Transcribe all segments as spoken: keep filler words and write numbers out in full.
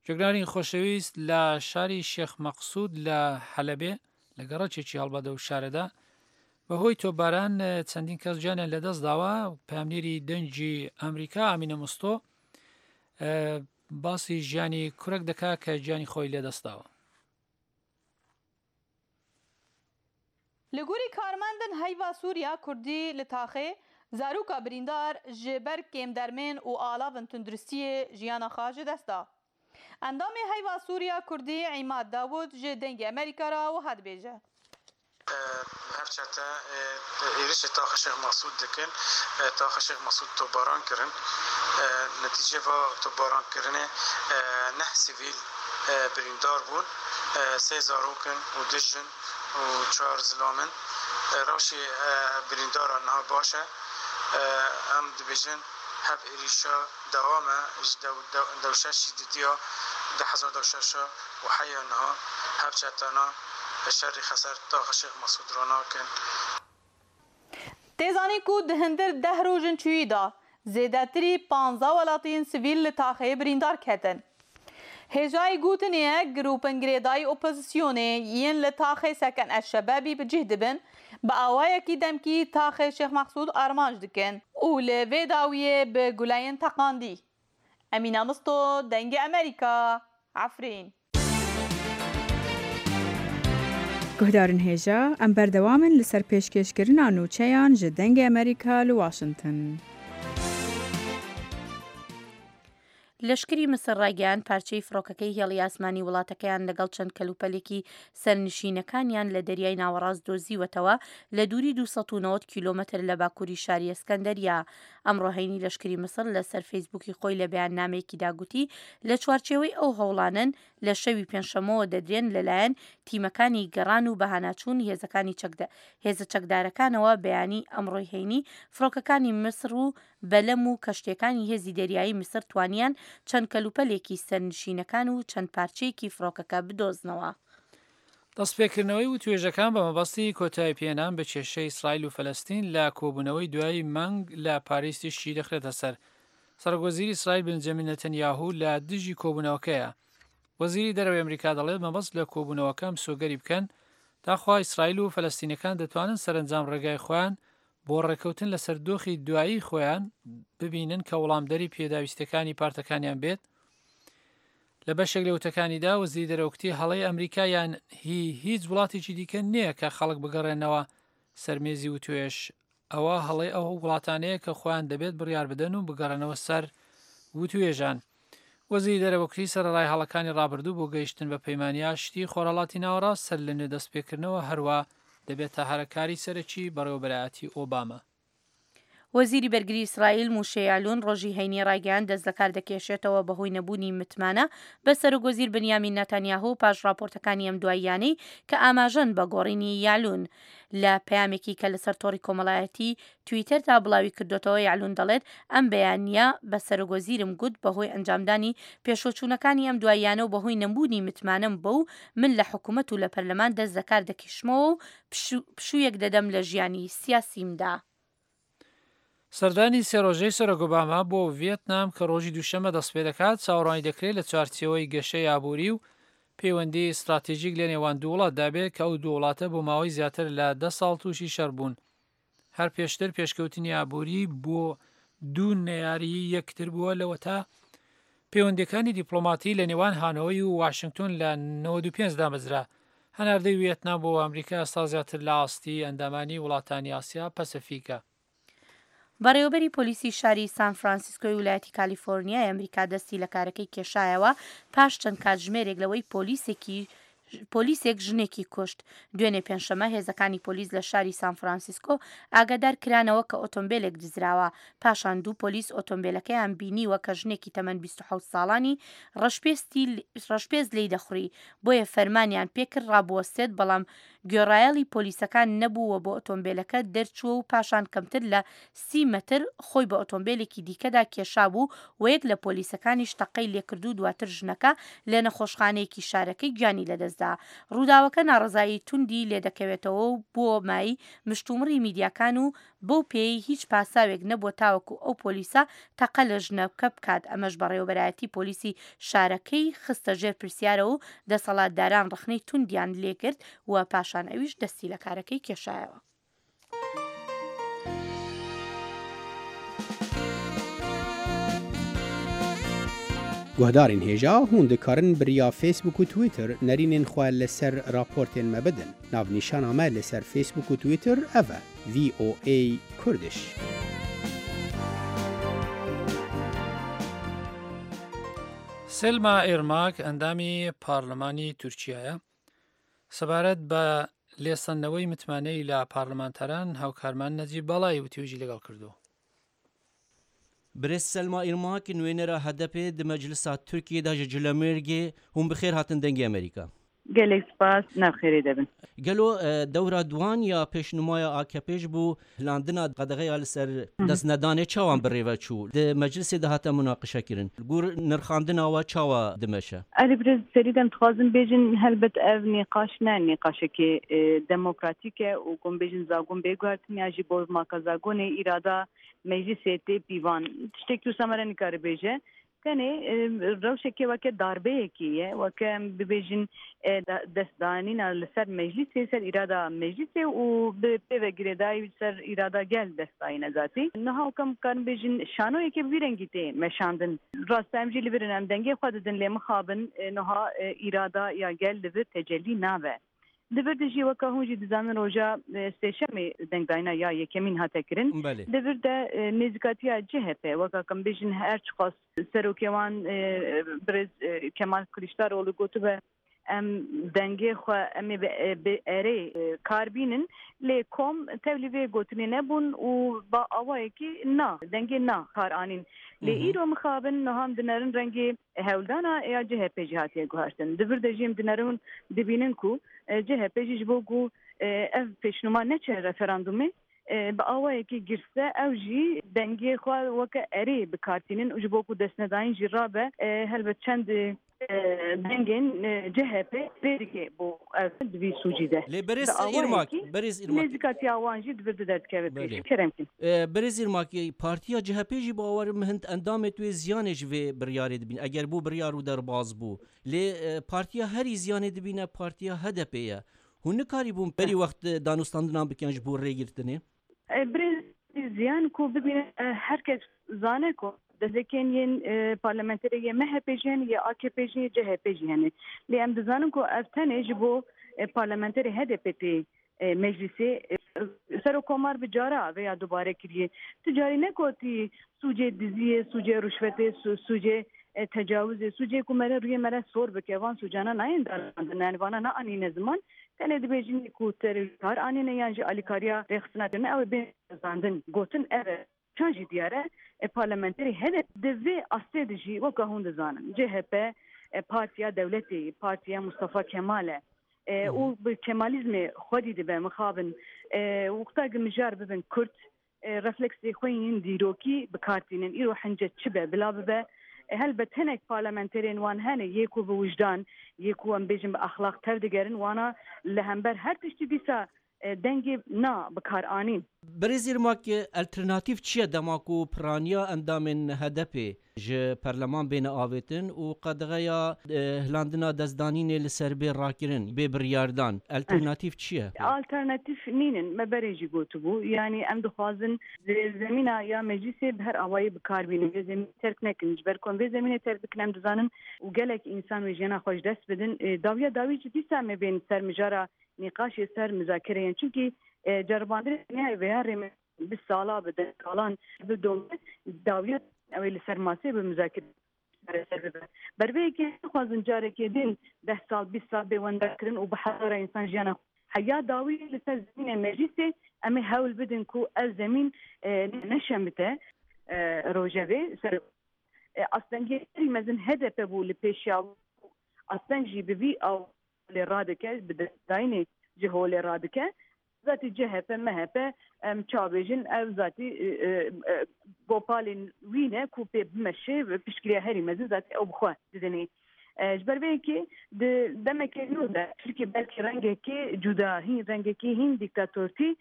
جوێگرانی خۆشەویست، لە شاری شێخ مەقسود لە حەلەبێ، لە گەڕەکێکی هەڵبەدە و شارەدا، بەهۆی تۆپباران چەندین کەس گیانیان لەدەست داوە. پەیامنێری دەنگی ئەمریکا ئامینە مستۆ باسی ژیانی کورەک دەکا کە گیانی خۆی لێدەستداوە. Li gorî karmendên Heyva Sor ya Kurdî li taxê, zaroka birîndar ji ber kêmdermên û alavên tenduristiyê jiyana xwe ji dest da. Endamê Heyva Sor ya Kurdî Îmad Dawud ji Dengê Amerîka re wiha dibêje. Hev çete êrişê taxa Şêx Mesûd dikin, taxa Şêx Mesûd topbaran kirin. Netîce va topbarankirinê neh sivîl birîndar bûn, sê zarok in û du jin û çar zilam in. Rewşê birîndaran niha baş e. Em dibêjin hev êrişa dewam e ji dewşeşî didiya du hezar dewşeşa û heya niha hev çetana şerê xeser taxa Şêx Mesûd re nakin. Tê zanîn ku di hundir deh rojên çûyî de zêdetirî panzdeh welatiyên sivîl li taxê birîndar ketin. Hêjayî gotinê ye grûpên girêdayî opozisyonê yên li taxê Seken Eşşebebî bi cih dibin, bi awayekî demkî taxê Şêx Meqsûd armanc dikin û li vê dawiyê bi guleyên teqandî. Emîna Misto, Dengê Amerîka, Efrîn. Guhdarên hêja, em berdewam in li ser pêşkêşkirina nûçeyan ji Dengê Amerîka li Washington. لەشکری میسر ڕایگەیاند پارچەی فڕۆکەکەی هێڵی ئاسمانی وڵاتەکەیان لەگەڵ چەند کەلوپەلێکی سەرنشینەکانیان لە دەریای ناوەڕاست دۆزیوەتەوە لە دووری دوو سەد و نەوەد کیلۆمەتر لە باکووری شاری ئەسکەندەریا. ئەمڕۆ هەینی لەشکری میسر لەسەر فەیسبووکی خۆی لە بەیاننامەیەکیدا گوتی لە چوارچێوەی ئەو هەوڵانەن لە شەوی پێنجشەممەوە دەدرێن لەلایەن تیمەکانی گەڕان و بەهاناچوون هێزەکانی هێزە چەکدارەکانەوە. بەیانی ئەمڕۆی هەینی فڕۆکەکانی میسر و بەلەم و کەشتیەکانی هێزی دەریایی میسر توانیان چەند کەلوپەلێکی سەرنشینەکان و چەند پارچەیەکی فڕۆکەکە بدۆزنەوە. دەستپێکردنەوەی وتوێژەکان بە مەبەستی کۆتایی پێنان بە کێشەی ئیسرائیل و فەلەستین لە کۆبوونەوەی دوای مانگ لە پاریس تیشکی دەخرێتە سەر. سەرۆک وەزیری ئیسرائیل بنجامین نەتەنیاهو لە دژی کۆبوونەوەکەیە. وەزیری دەرەوەی ئەمریکا دەڵێت مەبەست لە کۆبوونەوەکە مسۆگەری بکەن تاخوا ئیسرائیل و فەلەستینەکان دەتوانن سەرەنجام ڕێگای خۆیان بۆ ڕێککەوتن لەسەر دۆخی دوایی خۆیان ببینن کە وەڵامدەری پێداویستەکانی پارتەکانیان بێت. لە بەشێک لە وتەکانیدا وەزیری دەرەوە گوتی هەڵەی ئەمریکا یان هی هیچ وڵاتێکی دیکە نییە کە خەڵک بگەڕێنەوە سەرمێزی وتوێژ. ئەوە هەڵەی ئەو وڵاتانەیە کە خۆیان دەبێت بڕیار بدەن و بگەڕێنەوە سەر وتوێژان. وەزیری دەرەوە گوتی سەرەڕای هەڵەکانی ڕابردوو بۆ گەیشتن بە پەیمانی ئاشتی خۆرهەڵاتی ناوەڕاست سەر لە نوێ دەستپێکردنەوە هەروە دەبێتە هەرەکاری سەرەکی بەڕێوەبەرایەتی ئۆباما. وەزیری بەرگری ئیسرائیل موشێ یالون ڕۆژی هەینی ڕایگەیاند دەست لەکار دەکێشێتەوە بەهۆی نەبوونی متمانە بە سەرۆک وەزیر بنیامین ناتانیاهو پاش راپۆرتەکانی ئەم دواییانەی کە ئاماژەن بە گۆڕینی یالون. لە پەیامێکی کە لەسەر تۆڕی کۆمەڵایەتی تویتەردا بڵاوی کردوتەوە یالون دەڵێت ئەم بەیانیە بە سەرۆک وەزیرم گوت بەهۆی ئەنجامدانی پێشوەچوونەکانی ئەم دواییانە و بەهۆی نەبوونی متمانەم بەو من لە حکوومەت و لە پەرلەمان دەست لەکار دەکێشمەوە و پشوویەک دەدەم لە ژیانی سیاسیمدا. سەردانی سێ ڕۆژەی سەرۆک ئۆباما بۆ ڤێتنام کە ڕۆژی دووشەممە دەست پێ دەکات چاوەڕوانی دەکرێت لە چوارچێوەی گەشەی ئابووری و پەیوەندی ئیستراتیژیک لە نێوان دوو وڵاتدا بێت کە ئەو دوو وڵاتە بۆ ماوەی زیاتر لە دە ساڵ تووشی شەڕ بوون. هەر پێشتر پێشکەوتنی ئابووری بۆ دوو نەیاری یەکتر بووە لەوەتا پەیوەندیەکانی دیپلۆماتی لە نێوان هانۆی و واشنگتۆن لە نەوەد و پێنج دامەزرا. هەناردەی وێتنام بۆ ئەمریکا ئێستا زیاتر لە ئاستی ئەندامانی وڵاتانی ئاسیا پەسەفیکە. بەڕێوەبەری پۆلیسی شاری سان فرانسیسکۆی ویلایەتی کالیفۆرنیای ئەمریکا دەستی لە کارەکەی کێشایەوە پاش چەند کاتژمێرێک لەوەی پۆلیسێکی پۆلیسێک ژنێکی کوشت. دوێنێ پێنجشەممە هێزەکانی پۆلیس لە شاری سان فرانسیسکۆ ئاگادار کرانەوە کە ئۆتۆمبیلێک دزراوە. پاشان دوو پۆلیس ئۆتۆمبیلەکەیان بینیوە کە ژنێکی تەمەن بیست و حەوت ساڵانی ڕەشپێست لێی دەخوڕی، بۆیە فەرمانیان پێکرد ڕابوەستێت، بەڵام گوێڕایەڵی پۆلیسەکان نەبووە بۆ ئۆتۆمبیلەکە دەرچووە و پاشان کەمتر لە سی مەتر خۆی بە ئۆتۆمبیلێکی دیکەدا کێشابوو و یەک لە پۆلیسەکانیش تەقەی لێکرد و دواتر ژنەکە لە نەخۆشخانەیەکی شارەکەی گیانی لەدەستدا. لەدەستدا. ڕووداوەکە ناڕەزایی توندی لێدەکەوێتەوە و بووە مایەی مشتومڕی میدیاکان و بەو پێیەی هیچ پاساوێک نەبووە تاوەکو ئەو پۆلیسە تەقە لە ژنەکە بکات، ئەمەش بەڕێوەبەرایەتی پۆلیسی شارەکەی خستە ژێر پرسیارەوە و دەسەڵاتداران ڕەخنەی توندیان لێگرت و پاشان ئەویش دەستی لە کارەکەی کێشایەوە. Guhdarên hêja hûn dikarin bi riya Facebook û Twitter nerînên xwe li ser raportên me bidin. Navnîşana me li ser Facebook û Twitter ev e: V O A Kurdish. سلما ئێرماک ئەندامی پارلەمانی تورکیایە سەبارەت بە لێسەندنەوەی متمانەی لە پارلەمانتاران هاوکارمان نەجیب باڵای وتوێژی لەگەڵ کردو. برێز سەلما ئیرماک نوێنەرە هەدەپێ di مەجلسا Tirkiyê ji Culemêrgê hûn bi xêr hatin dengê Amerîka. Gelek spas navxêrê debin. Gelo dewra duwan ya pêşnumaya A K P ji bo hilandina qedexeya li ser destnedanê çawan birêve çû? Di meclisê de hate münaqişe kirin. Gor nirxandina we çawa dimeşe? Erê birêz serî dem dixwazim bêjin helbet ev nîqaş ne nîqaşekê demokratîk e û gon bêjin zagon bê guhertin ya jî bo maka zagonê îrada meclisê tê pîvan. Tiştekî wisa me re nikare bêje. Tenê rewşekê weke darbeyekî ye, weke em bibêjin destdanîna li ser meclisê, ser îrada meclisê û bi pêve girêdayî ser îrada gel destdayîne zatî. Niha weke em karin bêjin şanoyekê bi vî rengî tê meşandin. Rast em jî li vir in, em dengê xwe didin lê mixabin niha îrada ya gel li vir tecelî nabe. Li vir de jî weke hûn jî dizanin roja sêşemê dengdayîna ya yekemîn hate kirin. Li vir de nêzîkatiya C H P weke em bêjin her çiqas serokê wan birêz Kemal Kılıçdaroğlu gotibe em dengê xwe em ê bi erê kar bînin lê kom tevlî vê gotinê nebûn û ba awayekî na dengê na kar anîn. Lê îro mixabin niha em dinerin rengê hewldana ya C H P jî hatiye guhertin. Di vir de jî em dinerin dibînin ku C H P jî ji bo ku ev pêşnûma neçe referandumê bi awayekî girse ew jî dengê xwe weke erê bikartînin û ji bo ku destnedayîn jî rabe helbet çend dengên C H P rê dike bo ev di vî sûcî de. Lê birêz Irmak, birêz Irmak. Nêzîkatiya wan jî di vir de derdikeve pêş. Kerem kin. Birêz Irmak, Partiya C H P jî bi awayê hind endamê wê ziyanê ji vê biryarê dibîne. Eger bû biryar û derbaz bû. Lê partiya herî ziyanê dibîne partiya H D P ye. Hûn nikarîbûn berî wext danûstandinan bikin ji bo rêgirtinê? Birêz ziyan ku bibîne herkes zane ku destekên yên parlamenterê yê M H P jî hene, yê A K P jî, C H P jî hene. Lê em dizanin ku ev tenê ji bo parlamenterê H D P tê meclisê Serokkomar bi cara veya dubare kiriye. Tu carî negotî sûcê diziyê, sûcê ruşvetê, sûcê tecavüzê, sûcê ku mere rûyê mere sor bike van sûcana nayên dalandin. Yani vana neanîne ziman. Tenê dibêjin ku terorkar anîne yan jî alîkariya rêxistina kirine ew ê bên zandin. Gotin ev e. Çan jî diyar e parlamenterê H D P di vê astê de jî weke hûn dizanin. C H P partiya dewletê, partiya Mustafa Kemal e û bi Kemalîzmê xwedî dibe mixabin. Wexta ku mijar bibin Kurd refleksê xwe yên dîrokî bikartînin. Îro hence çi be bila bibe. Helbet hinek parlamenterên wan hene yê ku bi wijdan, yê ku em bêjin bi exlaq tev digerin wana li hember her tiştî dîsa dengê na bikar anîn. Birêz Irmak, alternatîf çi ye dema ku piraniya endamên H D P ji perleman bêne avêtin û qedexeya hilandina destdanînê li ser bê rakirin, bê biryardan? Alternatîf çi ye? Alternatîf nînin, me berê jî gotibû. Yani em dixwazin zemîna ya meclisê bi her awayî bikar bînin, vê zemînê terk nekin. Ji ber ku em vê zemînê terk bikin em dizanin û gelek însan wê jiyana xwe ji dest bidin. Dawiya dawî jî dîsa em ê bên ser mijara nîqaşê ser müzakereyên. Çünkü ceribandinê veya rê bi sala bi deh salan bidome dawiya ew ê li ser masê bi müzakere çareser bibe. Ber vê yekê nexwazin carekê din deh sal bîst sal bê wendakirin û bi hezara însan jiyana heya dawî li ser zemînê meclisê em ê hewl bidin ku ev zemîn neşemite rojevê. Ser astengê herî mezin H D P bû li pêşiya asteng jî bi vî awê radike, bi destdayînê ji holê radike. Zatî C H P, M H P em çavêjin ev zatî gopalên wî ne ku pê bimeşê piştgiriya herî mezin zatî ew bi xwe didinê. Ji ber vê yekê di demekê nû de Tirkiye belkî rengekê cuda hîn rengekê hîn dîktatortî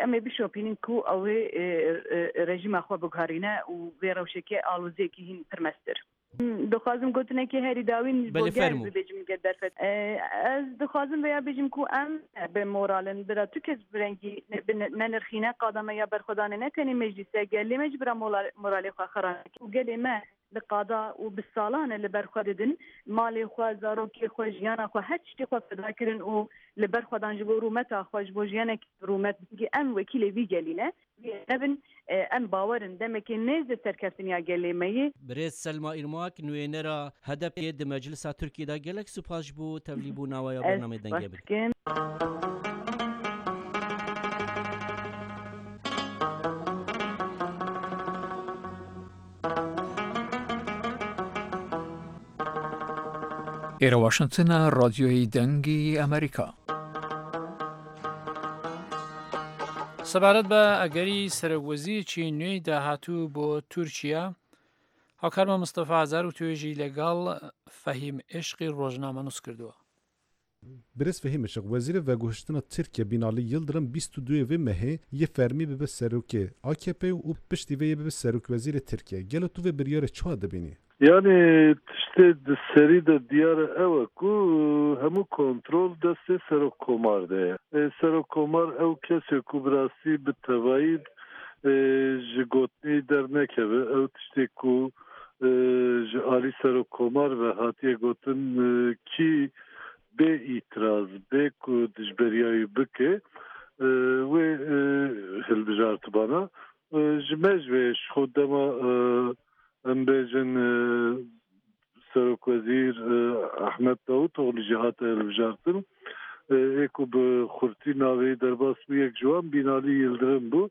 em ê bişopînin ku ew ê rejîma xwe biguherîne û vê rewşekê aloziyekî hîn pir mestir. Dixwazim gotinekê herî dawîn ji bo gel bibêjim gel derfet. Ez dixwazim vêya bêjim ku em bi moralin bira tu kes bi rengî nenirxîne qada me ya berxwedanê ne tenê meclîse gelê me ji bira moralê xwe xera neke û gelê me li qada û bi salan e li ber xwe didin malê xwe zarokê xwe jiyana xwe her tiştê xwe feda kirin û li ber xwe dan ji bo rûmeta xwe ji bo jiyanek rûmet em wekîlê vî gelî ne nebin em bawerin demekê nêz serkeftin ya gelê me yê. Birêz Selma Irmak nûênera HDP'ê di Meclisa Tirkiyê de gelek spas ji bo tevlîbûna we ya bernameyê Dengê Amerîka. ئێرە واشنگتنە ڕادیۆی دەنگی ئەمریکا. سەبارەت بە ئەگەری سەرۆک وەزیرێکی نوێی داهاتوو بۆ تورکیا، هاوکارمە مستەفا هەزار و توێژی لەگەڵ فەهیم عشقی ڕۆژنامەنووس کردووە. Birêz Fehîm Işık, Wezîrê Veguhiştina Tirkiye Binali Yildirim bîst û duê vê mehê yê fermî bibe serokê A K P û piştî vê yê bibe serokwezîrê Tirkiye. Gelo tu vê biryarê çawa dibînî? Yani tiştê di serî de diyar e ew e ku hemû kontrol destê serokkomar de ye. Serokkomar ew kesê ku bi rastî bi tevayî ji gotinê dernekeve ew tiştê ku ji alî serokkomar ve hatiye gotin kî bê îtiraz bê ku dijberiyayî bike wê hilbijartibana ji me ji wê ji xwe dema em bêjin serokwezîr Ahmet Davutoğlu jî hate hilbijartin ê ku bi xurtî navê derbas bû yek ji wan Binali Yildirim bû.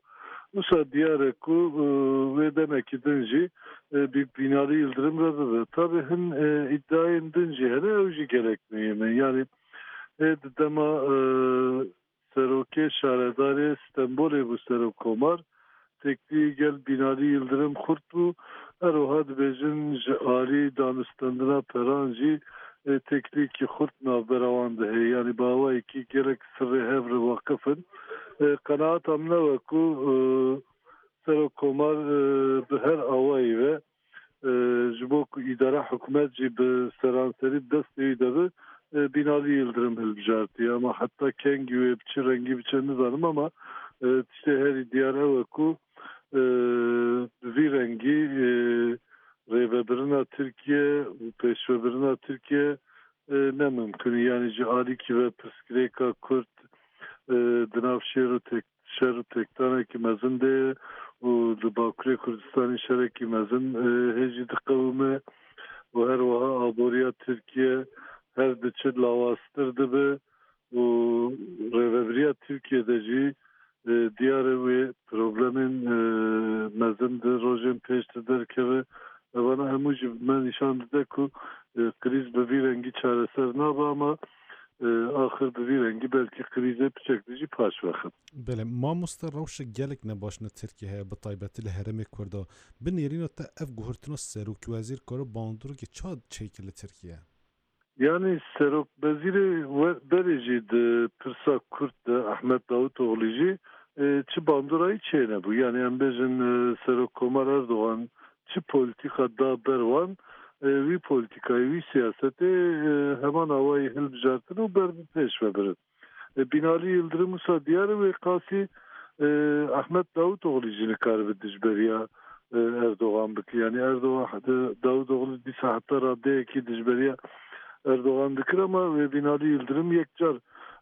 Wisa diyar e ku wê demekî din jî Binali Yildirim re bibe. Tabii hin iddiayên din jî hene ew jî gelek mühim e. Yani di dema serokê şaredarê Stenbolê bû serokkomar têkilî gel Binali Yildirim xurt bû. Her wiha dibêjin ji alî danûstandina peran jî têkiliyekî xurt navbera wan de heye. Yani bi awayekî gelek sirrê hev re waqif in. Qenaata min ew e ku serokkomar bi her awayî ve ji bo ku îdara hikûmet jî bi seranserî destê wî de be Binali Yildirim hilbijartiye. Ama heta kengî wê bi çi rengî biçe nizanim ama tiştê herî diyar ew e ku bi vî rengî rêvebirina Tirkiye û pêşvebirina Tirkiye ne mümkün. Yani ji alîkî ve pirsgirêka Kurd di nav şêr û şer û têkdanekî mezin de ye û li Bakurê Kurdistanê şerekî mezin hê jî diqewime û her wiha aboriya Tirkiye her diçe lawaztir dibe û rêvebiriya Tirkiye de jî diyar e wê problemên mezin di rojên pêş de derkeve. Evana hemû jî me nîşan dide ku krîz bi vî rengî çareser nabe ama axir bi vî rengî belkî krîzê piçek dijî paş vexin. Belê, mamoste rewşa gelek nebaş li Tirkiye heye bi taybetî li herêmê Kurda. Bi nêrîna te ev guhertina serokwezîr kare bandoreke ça çêkir li Tirkiye? Yani serokwezîrê berê jî di pirsa Kurd de Ahmet Davutoğlu jî çi bandorayî çênebû. Yani em bêjin Serokkomar Erdoğan çi polîtîka da ber wan wî polîtîkayê wî siyasetê heman awayî hilbijartin û ber bi pêş ve birin. Binali Yildirim wisa diyar e wê qasî Ahmet Davutoğlu jî nikaribe dijberiya Erdoğan bike. Yani Erdoğan Davutoğlu dîsa heta raddeyekî dijberiya Erdoğan dikir ama wê Binali Yildirim yekcar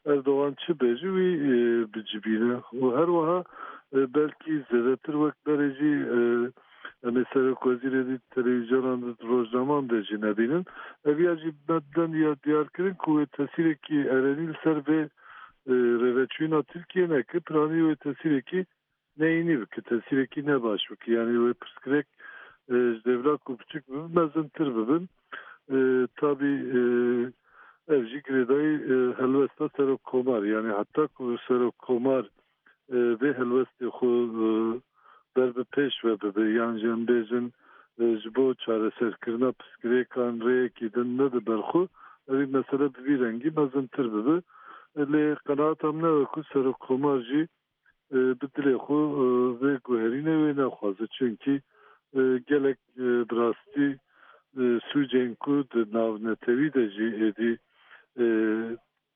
Erdoğan çi bêje wî bicibîne û her wiha belkî zêdetir wek berê jî em ê serokwezîrê dî televîzyonan de rojnaman de jî nebînin. Ev ya jî me didin ya diyarkirin ku wê tesîrekî erenî li ser vê rêveçûyîna Tirkiye neke, piranî wê tesîrekî neyînî bike, tesîrekî nebaş bike. Yani wê pirsgirêk ji dewla ku piçik bibin, mezintir bibin. Tabii ev jî girêdayî helwesta serokkomar. Yani heta ku serokkomar vê helwestê xwe ber bi pêş ve bibe yan jî em bêjin Ji bo çareserkirina pirsgirêkan rêyekî din nede ber xwe, ev ê mesele bi vî rengî mezintir bibe. Lê qenaeta min ew e ku Serokkomar jî bi dilê xwe vê guherînê wê nexwaze. Çunkî gelek bi rastî sûcên ku di navnetewî de jî êdî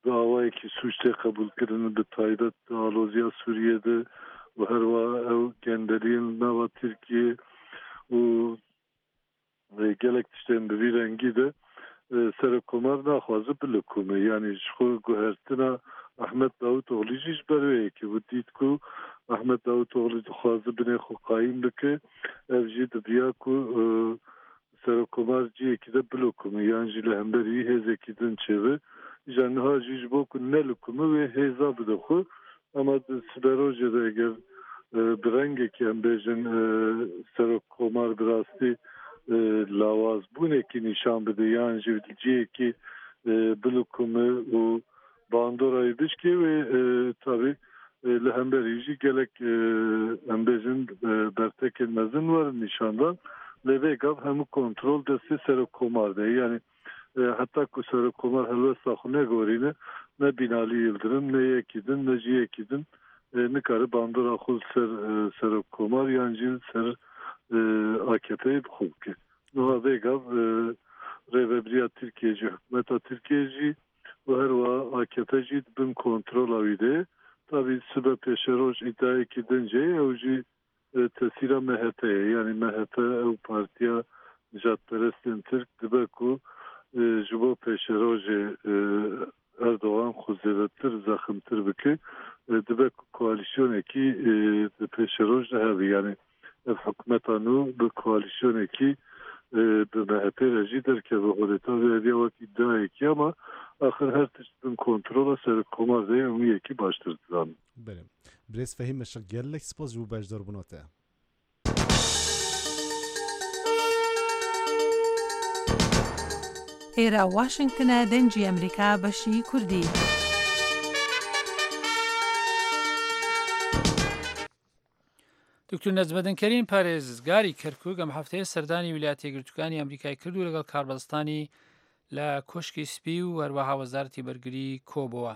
bi awayekî sûc tê qebûlkirin, bi taybet di aloziya Sûriyê de û her wiha ew gendeliyên li nava Tirkiyê û gelek tiştên bi vî rengî de Serokkomar naxwaze bilikume. Yanî ji xwe guhertina Ahmet Davutoğlu jî ji ber wê yekê bû. Dît ku Ahmet Davutoğlu dixwaze binê xwe qayîm bike, ev jî dibiya ku Serokkomar ciyekî de bilikume yan jî li hemberî hêzekî din çêbe. Îja niha jî ji bo ku nelikume wê hêza bide xwe. Ama di siberojê de eger bi rengekî em bêjin Serokkomar bi rastî lawazbûnekî nîşan bide yan jî li ciyekî bilikume û bandora wî bişkê wê tabî li hemberî jî gelek em bêjin bertekên mezin werin nîşandan. Lê vê gav hemû kontrol destê Serokkomar de ye. Yanî heta ku Serokkomar helwesta xwe negorîne, ne Binali Yildirim, ne yekî din, ne jî yekî din nikare bandora xwe li ser Serokkomar yan jî li ser A K P'yê bi xwe bike. Niha vê gav rêveberiya Tirkiye jî, hikûmeta Tirkiye jî û her wiha A K P jî di bin kontrola wî de ye. Tabî sibe pêşeroj îdiayekî din jê ye, ew jî tesîra M H P ye. Yanî M H P ew partiya nijadperestên Tirk dibe ku ji bo pêşerojê Erdogan xwe zêdetir zeximtir bike, dibe ku koalîsyonekî di pêşeroj de hebe. Yanî ev hikûmeta nû bi koalîsyonekî bi M H P re jî derkeve holê. Tabii ev ya wek îdiayekî ama axir her tişt bin kontrola Serokkomar de ye, em wî yekî baştir dizanin. Belê. Birêz Fehîm Işık, gelek spas ji bo beşdarbûna te. ئێرە واشنگتنە دەنگی ئەمریکا بەشی کوردی. دکتور نەجمەدین کەریم پارێزگاری کەرکوک ئەم هەفتەیە سەردانی ویلایەتە یەکگرتووەکانی ئەمریکای کرد و لەگەڵ کاربەدەستانی لە کۆشکی سپی و هەروەها وەزارەتی بەرگری کۆبەوە.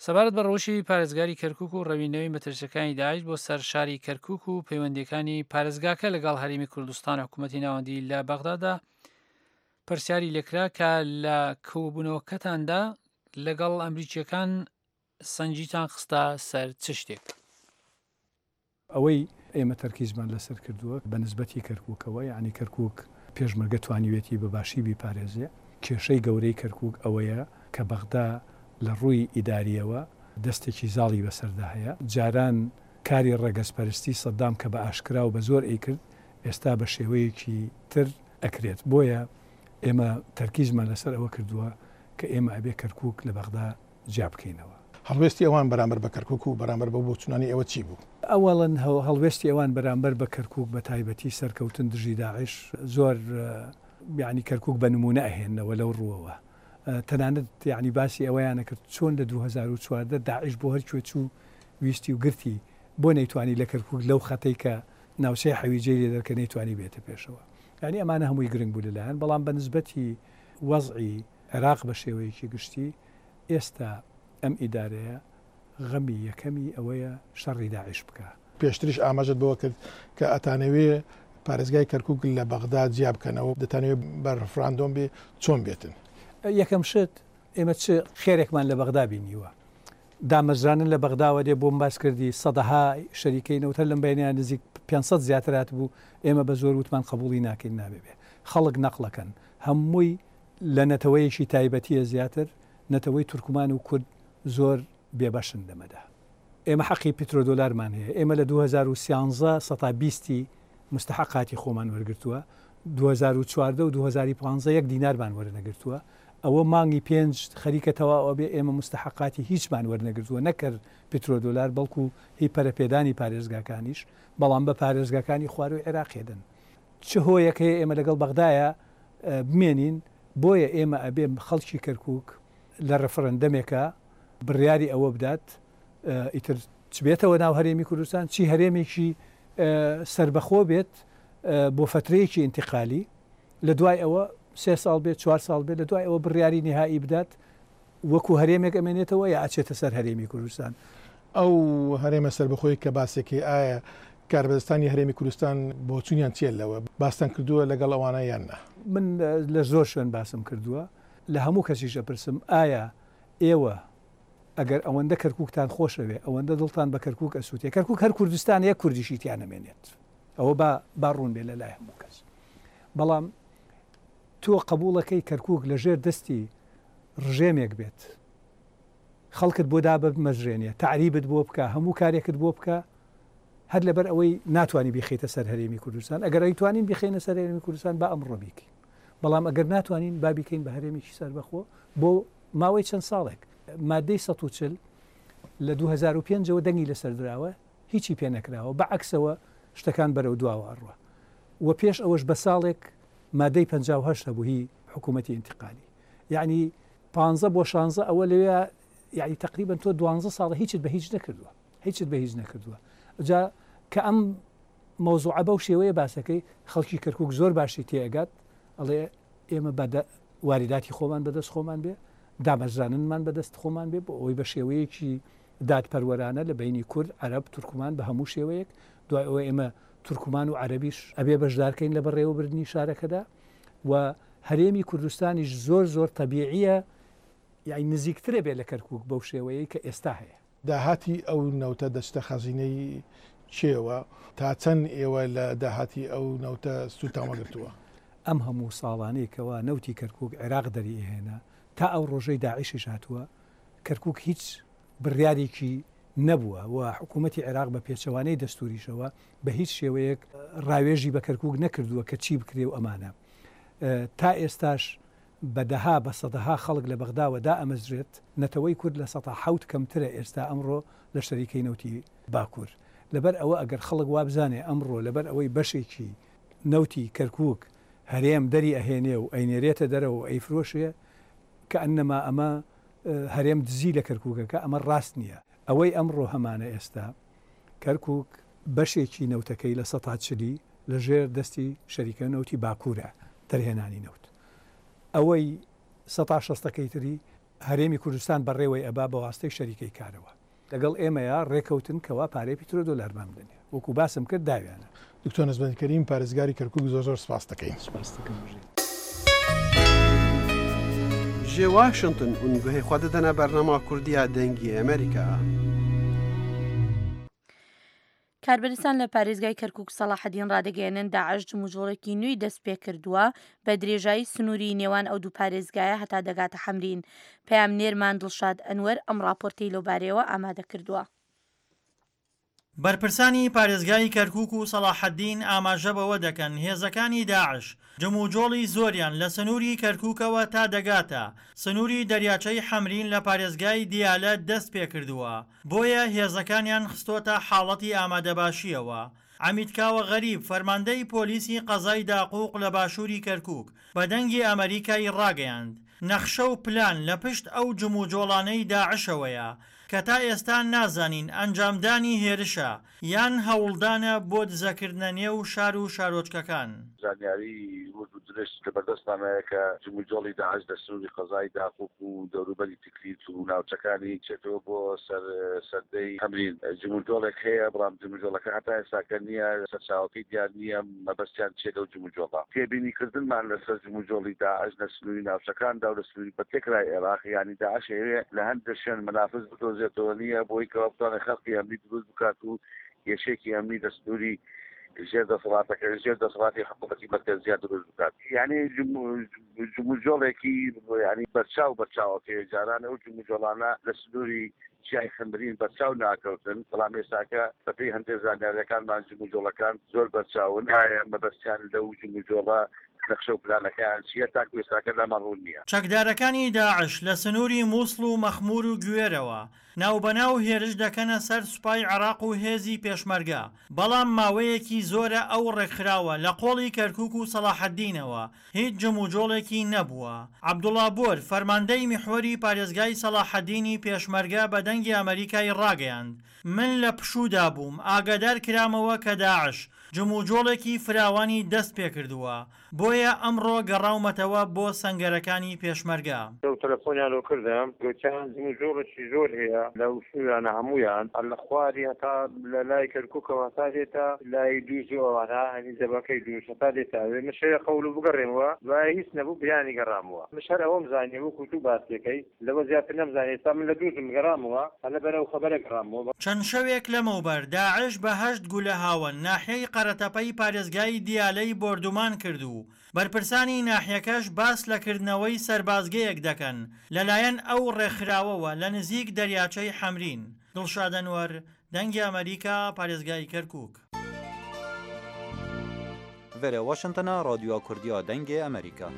سەبارەت بە ڕەوشی پارێزگاری کەرکوک و ڕەوینەوەی مەترسیەکانی داعش بۆ سەر شاری کەرکوک و پەیوەندیەکانی پارێزگاکە لەگەڵ هەرێمی کوردستان و حکوومەتی ناوەندی لە بەغدادا پرسیاری لێکرا کە لە کۆبوونەوەکەتاندا لەگەڵ ئەمریکیەکان سەنجیتان خستە سەر چ شتێک؟ ئەوەی ئێمە تەرکیزمان لەسەر کردووە بە نسبەتی کەرکووکەوە، یعنی کەرکووک پێشمەرگە توانیوێتی بە باشی بیپارێزێ. کێشەی گەورەی کەرکووک ئەوەیە کە بەغدا لە ڕووی ئیداریەوە دەستێکی زاڵی بەسەردا هەیە. جاران کاری ڕەگەزپەرستی سەدام کە بە ئاشکرا و بە زۆر ئەیکرد، ئێستا بە شێوەیەکی تر ئەکرێت. بۆیە ئێمە تەرکیزمان لەسەر ئەوە کردووە کە ئێمە ئەبێ کەرکووک لە بەغدا جیا بکەینەوە. هەڵوێستی ئەوان بەرامبەر بە کەرکووک و بەرامبەر بە بۆچوونانی ئێوە چی بوو؟ ئەوەڵەن هەڵوێستی ئەوان بەرامبەر بە کەرکووک بە تایبەتی سەرکەوتن دژی داعش زۆر یعنی کەرکووک بە نمونە ئەهێننەوە لەو ڕووەوە. تەنانەت یعنی باسی ئەوەیانە کرد چۆن لە دوو هەزار و چواردە داعش بۆ هەرکوێ چوو ویستی و گرتی، بۆ نەیتوانی لە کەرکووک لەو خەتەی کە ناوچەی حەویجەی لێ دەرکە نەیتوانی بێتە پێشەوە. یعنی ئەمانە هەمووی گرنگ بوو لەلایەن، بەڵام بە نسبەتی وەزعی عێراق بە شێوەیەکی گشتی ئێستا ئەم ئیدارەیە غەمی یەکەمی ئەوەیە شەڕی داعش بکە. پێشتریش ئاماژەت بەوە کرد کە ئەتانەوێ پارێزگای کەرکووک لە بەغدا جیا بکەنەوە، دەتانەوێ بە ڕفراندۆم بێ چۆن بێتن؟ یەکەم شت ئێمە چ خێرێکمان لە بەغدا بینیوە؟ دامەزرانن لە بەغداوە دێ بۆم باس کردی سەدەها شەریکەی نەوتەر لەم بەینیان نزیک پێنج سەد زیاتر هاتبوو، ئێمە بە زۆر وتمان قبوڵی ناکەین نابێ بێ. خەڵک نەقڵەکەن هەمووی لە نەتەوەیەکی تایبەتیە زیاتر، نەتەوەی تورکمان و کورد زۆر بێبەشن لەمەدا. ئێمە حەقی پترۆدۆلارمان هەیە. ئێمە لە دوو هەزار و سیانزە سەتا بیستی مستحقاتی خۆمان وەرگرتووە، دوو هەزار و چواردە و دوو هەزار و پانزە یەک دینارمان وەرنەگرتووە. ئەوە مانگی پێنج خەریکە تەواو ئەبێ ئێمە مستحقاتی هیچمان وەرنەگرتووە، نەکرد پترۆدۆلار بەڵکو هی پەرەپێدانی پارێزگاکانیش، بەڵام بە پارێزگاکانی خواروی عێراقێ دەن. چ هۆیەک هەیە ئێمە لەگەڵ بەغدایە بمێنین؟ بۆیە ئێمە ئەبێ خەڵکی کەرکووک لە ڕەفرەندەمێکە بڕیاری ئەوە بدات ئیتر چ بێتەوە ناو هەرێمی کوردستان، چی هەرێمێکی سربەخۆ بێت بۆ فەترەیەکی ئینتیقالی، لە دوای ئەوە سێ ساڵ بێت چوار ساڵ بێت لە دوای ئەوە بڕیاری نهایی بدات وەکو هەرێمێک ئەمێنێتەوە یا ئەچێتە سەر هەرێمی کوردستان. ئەو هەرێمە سەربەخۆی کە باسێکی ئایا کاربەدەستانی هەرێمی کوردستان بۆچوونیان چییە لەوە؟ باستان کردووە لەگەڵ ئەوانە یان نا؟ من لە زۆر شوێن باسم کردووە، لە هەموو کەسیش ئەپرسم ئایا ئێوە ئەگەر ئەوەندە کەرکووکتان خۆشەوێ، ئەوەندە دڵتان بە کەرکووک ئەسووتێ، کەرکووک هەر کوردستان یەک کوردیشی تیا نەمێنێت، ئەوە با با ڕوون بێ لە لای هەموو کەس. بەڵام تۆ قبوڵەکەی کەرکووک لەژێر دەستی ڕژێمێک بێت، خەڵکت بۆ دابمەزرێنێ، تەعریبت بۆ بکە، هەموو کارێکت بۆ بکە، هەر لەبەر ئەوەی ناتوانانی بیخەیتە سەر هەرێمی کوردستان. ئەگەر ئەیتوانین بیخەینە سەر هەرێمی کوردستان با ئەمڕۆ بیکەین، بەڵام ئەگەر ناتوانین با بیکەین بە هەرێمێکی سەربەخۆ بۆ ماوەی چەند ساڵێک. مادەی سەد و چل لە دوو هەزار و پێنجەوە دەنگی لەسەر دراوە، هیچی پێ نەکراوە، بەعەکسەوە شتەکان بەرەو دواوە ئەڕوا. و پێش ئەوەش بە ساڵێک مادەی پەنجا و هەشت هەبوو هی حکوومەتی ئینتقالی، یعنی پانزە بۆ شانزە ئەوە لەوێ، یعنی تقریبا تۆ دوانزە ساڵە هیچت بە هیچ نەکردووە، هیچت بە هیچ نەکردووە. جا کە ئەم مەوزوعە بەو شێوەیە باسەکەی خەڵکی کەرکووک زۆر باشی تێئەگات، ئەڵێ ئێمە بە واریداتی خۆمان بەدەست خۆمان بێ، دامەزراننمان بەدەست خۆمان بێ، بۆ ئەوەی بە شێوەیەکی دادپەروەرانە لە بینی کورد، عەرەب، تورکمان بە هەموو شێوەیەک. دوای ئەوە ئێمە تورکمان و عەرەبیش ئەبێ بەشدارکەین لە بەڕێوەبردنی شارەکەدا و هەرێمی کوردستانیش زۆر زۆر تەبیعیە، یعنی نزیکترە بێ لە کەرکووک بەو شێوەیەی کە ئێستا هەیە. داهاتی ئەو نەوتە دەچتە خەزینەی چێوە؟ تا چەند ئێوە لە داهاتی ئەو نەوتە سوودتان وەگرتووە؟ ئەم هەموو ساڵانەی کەوا نەوتی کەرکووک عێراق دەری ئێهێنا تا ئەو ڕۆژەی داعشیش هاتووە، کەرکووک هیچ بڕیارێکی نەبووە و حکوومەتی عێراق بە پێچەوانەی دەستوریشەوە بە هیچ شێوەیەک ڕاوێژی بە کەرکووک نەکردووە کە چی بکرێ و ئەمانە. تا ئێستاش بەدەها بە سەدەها خەڵک لە بەغداوە دائەمەزرێت، نەتەوەی کورد لە سەدا حەوت کەمترە ئێستا ئەمڕۆ لە شەریکەی نەوتی باکوور. لەبەر ئەوە ئەگەر خەڵک وابزانێ ئەمڕۆ لەبەر ئەوەی بەشێکی نەوتی کەرکووک هەرێم دەری ئەهێنێ و ئەینێرێتە دەرەوە و ئەیفرۆشێ، کە ئەنەما ئەمە هەرێم دزی لە کەرکووکەکە، ئەمە ڕاست نییە. ئەوەی ئەمڕۆ هەمانە ئێستا کەرکووک بەشێکی نەوتەکەی لە سەدا چلی لەژێر دەستی شەریکە نەوتی باکوورە دەرهێنانی نەوت، ئەوەی سەدا شەستەکەی تری هەرێمی کوردستان بەڕێوەی ئەبا بە واستەی شەریکەی کارەوە. لەگەڵ ئێمەیە ڕێکەوتن کەوا پارەی پیترۆدۆلارمان بدەنێ، وەکو باسم کرد داویانە. دکتۆر نەزمەندی کەریم پارێزگاری کەرکووک زۆر زۆر سپاس دەکەین. سپاس دەکەم. بژیت. Ji Washington hûn guhê xwe didine bernama Kurdiya Dengê Amerîka. کاربەدەستان لە پارێزگای کەرکووک سەڵاحەدین ڕادەگەیەنن داعش جموجۆڵێکی نوێی دەست پێ کردووە بە درێژایی سنووری نێوان ئەو دوو پارێزگایە هەتا دەگاتە حەمرین. پەیامنێرمان دڵشاد ئەنوەر ئەم راپۆرتەی لەوبارەیەوە ئامادە کردووە. بەرپرسانی پارێزگای کەرکووک و سەڵاحەدین ئاماژە بەوە دەکەن هێزەکانی داعش جموجۆڵی زۆریان لە سنووری کەرکووکەوە تا دەگاتە سنووری دەریاچەی حەمرین لە پارێزگای دیالە دەست پێ کردووە، بۆیە هێزەکانیان خستۆتە حاڵەتی ئامادەباشیەوە. عەمید کاوە غەریب فەرماندەی پۆلیسی قەزای داقوق لە باشووری کەرکووک بە دەنگی ئەمریکای ڕاگەیاند نەخشە و پلان لە پشت ئەو جموجۆڵانەی داعشەوەیە کە تا ئێستا نازانین ئەنجامدانی هێرشە یان هەوڵدانە بۆ دزەکردنە نێو شار و شارۆچکەکان. زانیاری ورد و درشت لە بەردەستمانەیە کە جموجۆڵی داعش لە سنووری قەزای داقوق و دەوروبەری تکریت و ناوچەکانی چێتەوە بۆ سەردەی حەمرین. جموجۆڵێک هەیە، بەڵام جموجۆڵەکە هەتا ئێستاکە نییە، سەرچاوەکەی دیار نییە، مەبەستیان چییە لەو جموجۆڵە. تێبینیکردنمان لەسەر جموجۆڵی داعش لە سنووری ناوچەکاندا و لە سنووری بەتێکرای عێراق، یعنی داعش هەیە لە هەندێک شوێن مەنافذ بدۆزێتەوە نییە بۆی کەوا بتوانێت خەڵکی ئەمنی دروست بکات و کێشێکی ئەمنی لە سنووری ژێر دەسەڵاتەکە ژێر دەسەڵاتی حکوومەتی مەرکەزیان دروست بکات. یعنی جموجۆڵێکی یعنی بەرچاو بەرچاوەکەی جاران ئەو جموجۆڵانە لە سنووری چیای حەمرین بەرچاو ناکەوتن، بەڵام ئێستاکە بەپێی هەندێک زانیاریەکانمان جموجۆڵەکان زۆر بەرچاون. ئایا مەبەستیان لەو جموجۆڵە نەخشە و پلانەکەیان چییە تاکو ئێستاکە لامان ڕوون نییە. چەکدارەکانی داعش لە سنووری مووسڵ و مەخموور و گوێرەوە ناوبەناو هێرش دەکەنە سەر سوپای عێراق و هێزی پێشمەرگە، بەڵام ماوەیەکی زۆرە ئەو ڕێکخراوە لە قۆڵی کەرکوک و سەڵاحەدینەوە هیچ جموجۆڵێکی نەبووە. عەبدوڵا بۆر، فەرماندەی میحوەری پارێزگای سەڵاحەدینی پێشمەرگە بە دەنگی ئەمەریکای ڕاگەیاند، من لە پشوودا بووم ئاگادار کرامەوە کە داعش جموجۆڵێکی فراوانی دەست پێکردووە، بۆیە ئەمڕۆ گەڕاومەتەوە بۆ سەنگەرەکانی پێشمەرگە. شەو تەلەفۆنیان لۆ کردم گوتیان جموجۆڵێکی زۆر هەیە لەو سنوورانە هەموویان هەر لە خواری هەتا لە لای کەرکووکەوە هەتا دێتە لای دووز و ئەوانە هەنی جەبەکەی دووز هەتا دێتە ئەوێ. من شەوێ قەول و بگەڕێمەوە دوایە هیچ نەبوو بیانی گەڕامەوە. مش هەر ئەوەم زانی وەکوو تو باسیەکەی لەوە زیاتر نەمزانی. ئێستا من لە دووزم گەڕامەوە هەر لەبەر ئەو خەبەرە گەڕامەوە. چەند شەوێک لەمەوبەر داعش بە هەشت گولە هاوەن ناحیەی قەرەتەپەی پارێزگای دیالەی بۆردومان کرد و بەرپرسانی ناحیەکەش باس لە کردنەوەی سەربازگەیەک دەکەن لەلایەن ئەو ڕێکخراوەوە لە نزیک دەریاچەی حەمرین. دڵشاد ئەنوەر، دەنگی ئەمەریکا، پارێزگای کەرکوک. ڤێرێ واشنتنا رادیۆ کوردیا دەنگێ ئەمریکا.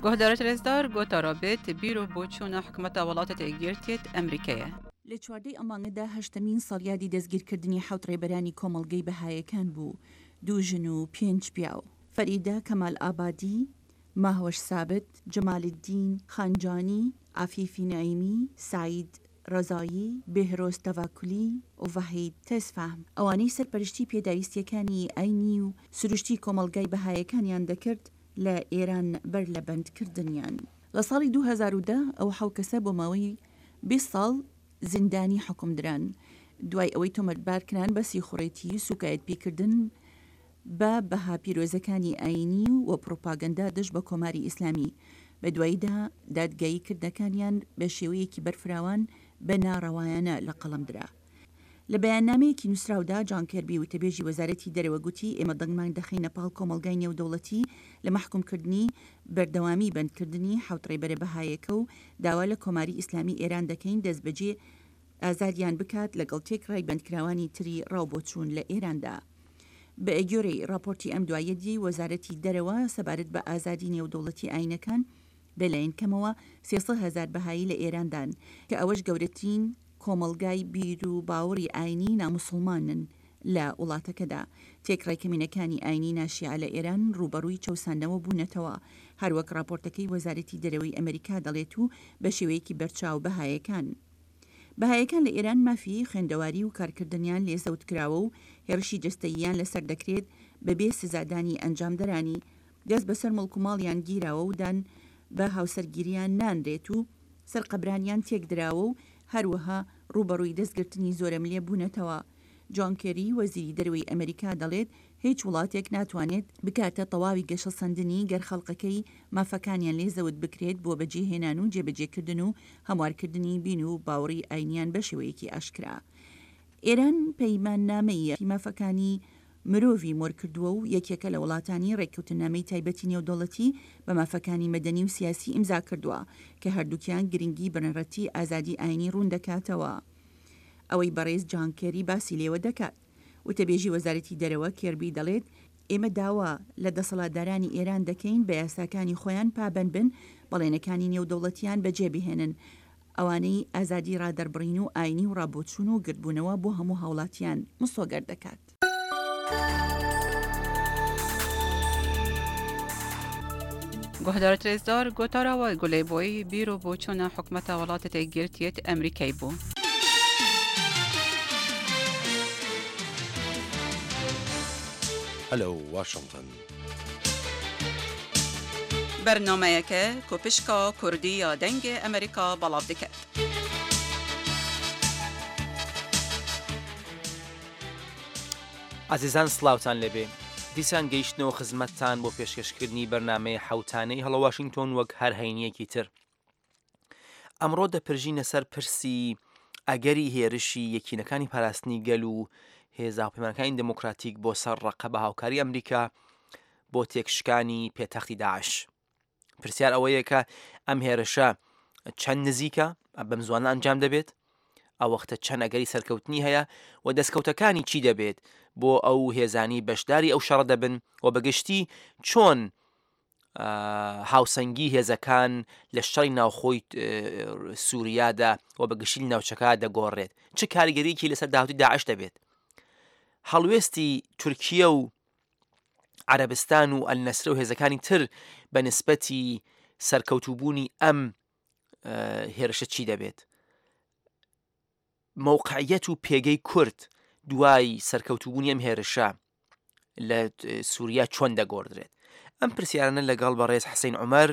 گۆهدارەت رێزدار گۆتارا بێت بیر و بۆچوونە حکومەتە وڵاتە یەکگرتیت ئەمریکایە. لە چواردەی ئەم مانگەدا هەشتەمین ساڵیادی دەستگیرکردنی حەوت ڕێبەرانی کۆمەڵگەی بەهایەکان بوو، دوو ژن و پێنج پیاو، فەریدە کەمال ئابادی، ماهوەش سابت، جەمالەدین خانجانی، عەفیفی نەعیمی، سەعید ڕەزایی، بێهرۆز تەڤاکولی و ڤەحید تێزفەهم، ئەوانەی سەرپەرشتی پێداویستییەکانی ئاینی و سروشتی کۆمەڵگای بەهایەکانیان دەکرد لە ئێران بەر لە بەندکردنیان. لە ساڵی دوو هەزار و دە ئەو حەو کەسە بۆ ماوەی بیست ساڵ زیندانی حوکم دران، دوای ئەوەی تۆمەتبارکران بە سیخوڕێتی و سوکایەتپێکردن بە بەها پیرۆزەکانی ئایینی و پڕوپاگەندە دژ بە کۆماری ئیسلامی، بەدواییدا دادگاییکردنەکانیان بە شێوەیەکی بەرفراوان بە ناڕەوایانە لە قەڵەم درا. لە بەیاننامەیەکی نووسراودا، جان کێربی وتەبێژی وەزارەتی دەرەوە گوتی، ئێمە دەنگمان دەخەینە پاڵ کۆمەڵگای نێودەوڵەتی لە مەحکومکردنی بەردەوامی بەندکردنی حەوت ڕێبەرە بەهایەکە و داوا لە کۆماری ئیسلامی ئێران دەکەین دەستبەجێ ئازادیان بکات لەگەڵ تێکڕای بەندکراوانی تری ڕاوبۆچوون لە ئێراندا. بەگوێرەی ڕاپۆرتی ئەم دواییەی وەزارەتی دەرەوە سەبارەت بە ئازادی نێودەوڵەتی ئاینەکان، بەلایەن کەمەوە سێ سەد هەزار بەهایی لە ئێراندان، کە ئەوەش گەورەترین کۆمەڵگای بیر و باوەڕی ئاینی ناموسڵمانن لە وڵاتەکەدا. تێکڕای کەمینەکانی ئاینی ناشیعە لە ئێران ڕووبەڕووی چەوساندنەوە بوونەتەوە، هەروەک ڕاپۆرتەکەی وەزارەتی دەرەوەی ئەمەریکا دەڵێت و بە شێوەیەکی بەرچاو بەهایەکان بەهایەکان لە ئێران مافی خوێندەواری و کارکردنیان لێ زەوت کراوە و هێڕشی جەستەییان لەسەر دەکرێت بەبێ سزادانی ئەنجامدەرانی، دەست بەسەر موڵک و ماڵیان گیراوە و دان بە هاوسەرگیریان نانرێت و سەر قەبرانیان تێکدراوە و هەروەها ڕووبەڕووی دەستگرتنی زۆرەملێ بوونەتەوە. جۆن کێری، وەزیری دەرەوەی ئەمریکا دەڵێت، هیچ وڵاتێک ناتوانێت بگاتە تەواوی گەشەسەندنی گەر خەڵکەکەی مافەکانیان لێ زەوت بکرێت بۆ بەجێهێنان و جێبەجێکردن و هەموارکردنی بین و باوەڕی ئاینیان بە شێوەیەکی ئاشکرا. ئێران پەیماننامەی مافەکانی مرۆڤی مۆرکردووە و یەکێکە لە وڵاتانی ڕێککەوتننامەی تایبەتی نێودەوڵەتی بە مافەکانی مەدەنی و سیاسی ئیمزا کردووە کە هەردووکیان گرنگی بنەڕەتی ئازادی ئاینی ڕوون دەکاتەوە. ئەوەی بەڕێز جان کێری باسی لێوە دەکات. وتەبێژی وەزارەتی دەرەوە کێربی دەڵێت، ئێمە داوا لە دەسەڵاتدارانی ئێران دەکەین بە یاساکانی خۆیان پابەند بن، بەڵێنەکانی نێودەوڵەتیان بەجێ بهێنن، ئەوانەی ئازادی ڕادەربڕین و ئاینی و ڕابۆچوون و گردبوونەوە بۆ هەموو هاوڵاتیان مسۆگەر دەکات. گۆهدارت رێزدار گۆتارا وە گولەی بۆی بیر و بۆچوونە حکومەتە وڵاتە یەکگرتیت ئەمریکای بوو. Hello Washington. بەرنامەیەکە کو پشکا کوردی یا دەنگێ ئەمریکا بەڵاو دکەت. ئازیزان سڵاوتان لێبێ. دیسان گەیشتنەوە خزمەتتان بۆ پێشکەشکردنی بەرنامەی حەوتانەی هەڵە واشنگتۆن وەک هەر هەینیەکی تر. ئەمڕۆ دەپرژینە سەر پرسی ئەگەری هێرشی یەکینەکانی پاراستنی گەل و هێزا هاوپەیمانەکانی دێموکراتیک بۆ سەر ڕەقە بە هاوکاری ئەمریکا بۆ تێکشکانی پێتەختی داعش. پرسیار ئەوەیە کە ئەم هێرشە چەند نزیکە بەم زوانە ئەنجام دەبێت؟ ئەو وەختە چەند ئەگەری سەرکەوتنی هەیە و دەستکەوتەکانی چی دەبێت بۆ ئەو هێزانی بەشداری ئەو شەڕە دەبن و بەگشتی چۆن هاوسەنگی هێزەکان لە شەڕی ناوخۆی سووریادا و بەگشتی ناوچەکە دەگۆڕێت، چ کاریگەریکی لەسەر داهاتووی داعش دەبێت؟ هەڵوێستی تورکیە و عەرەبستان و ئەلنەسرە و هێزەکانی تر بە نسبەتی سەرکەوتووبوونی ئەم هێرشە چی دەبێت؟ مەوقعیەت و پێگەی کورد دوای سەرکەوتووبوونی ئەم هێرشە لە سووریا چۆن دەگۆڕدرێت؟ ئەم پرسیارانە لەگەڵ بەڕێز حسین عومەر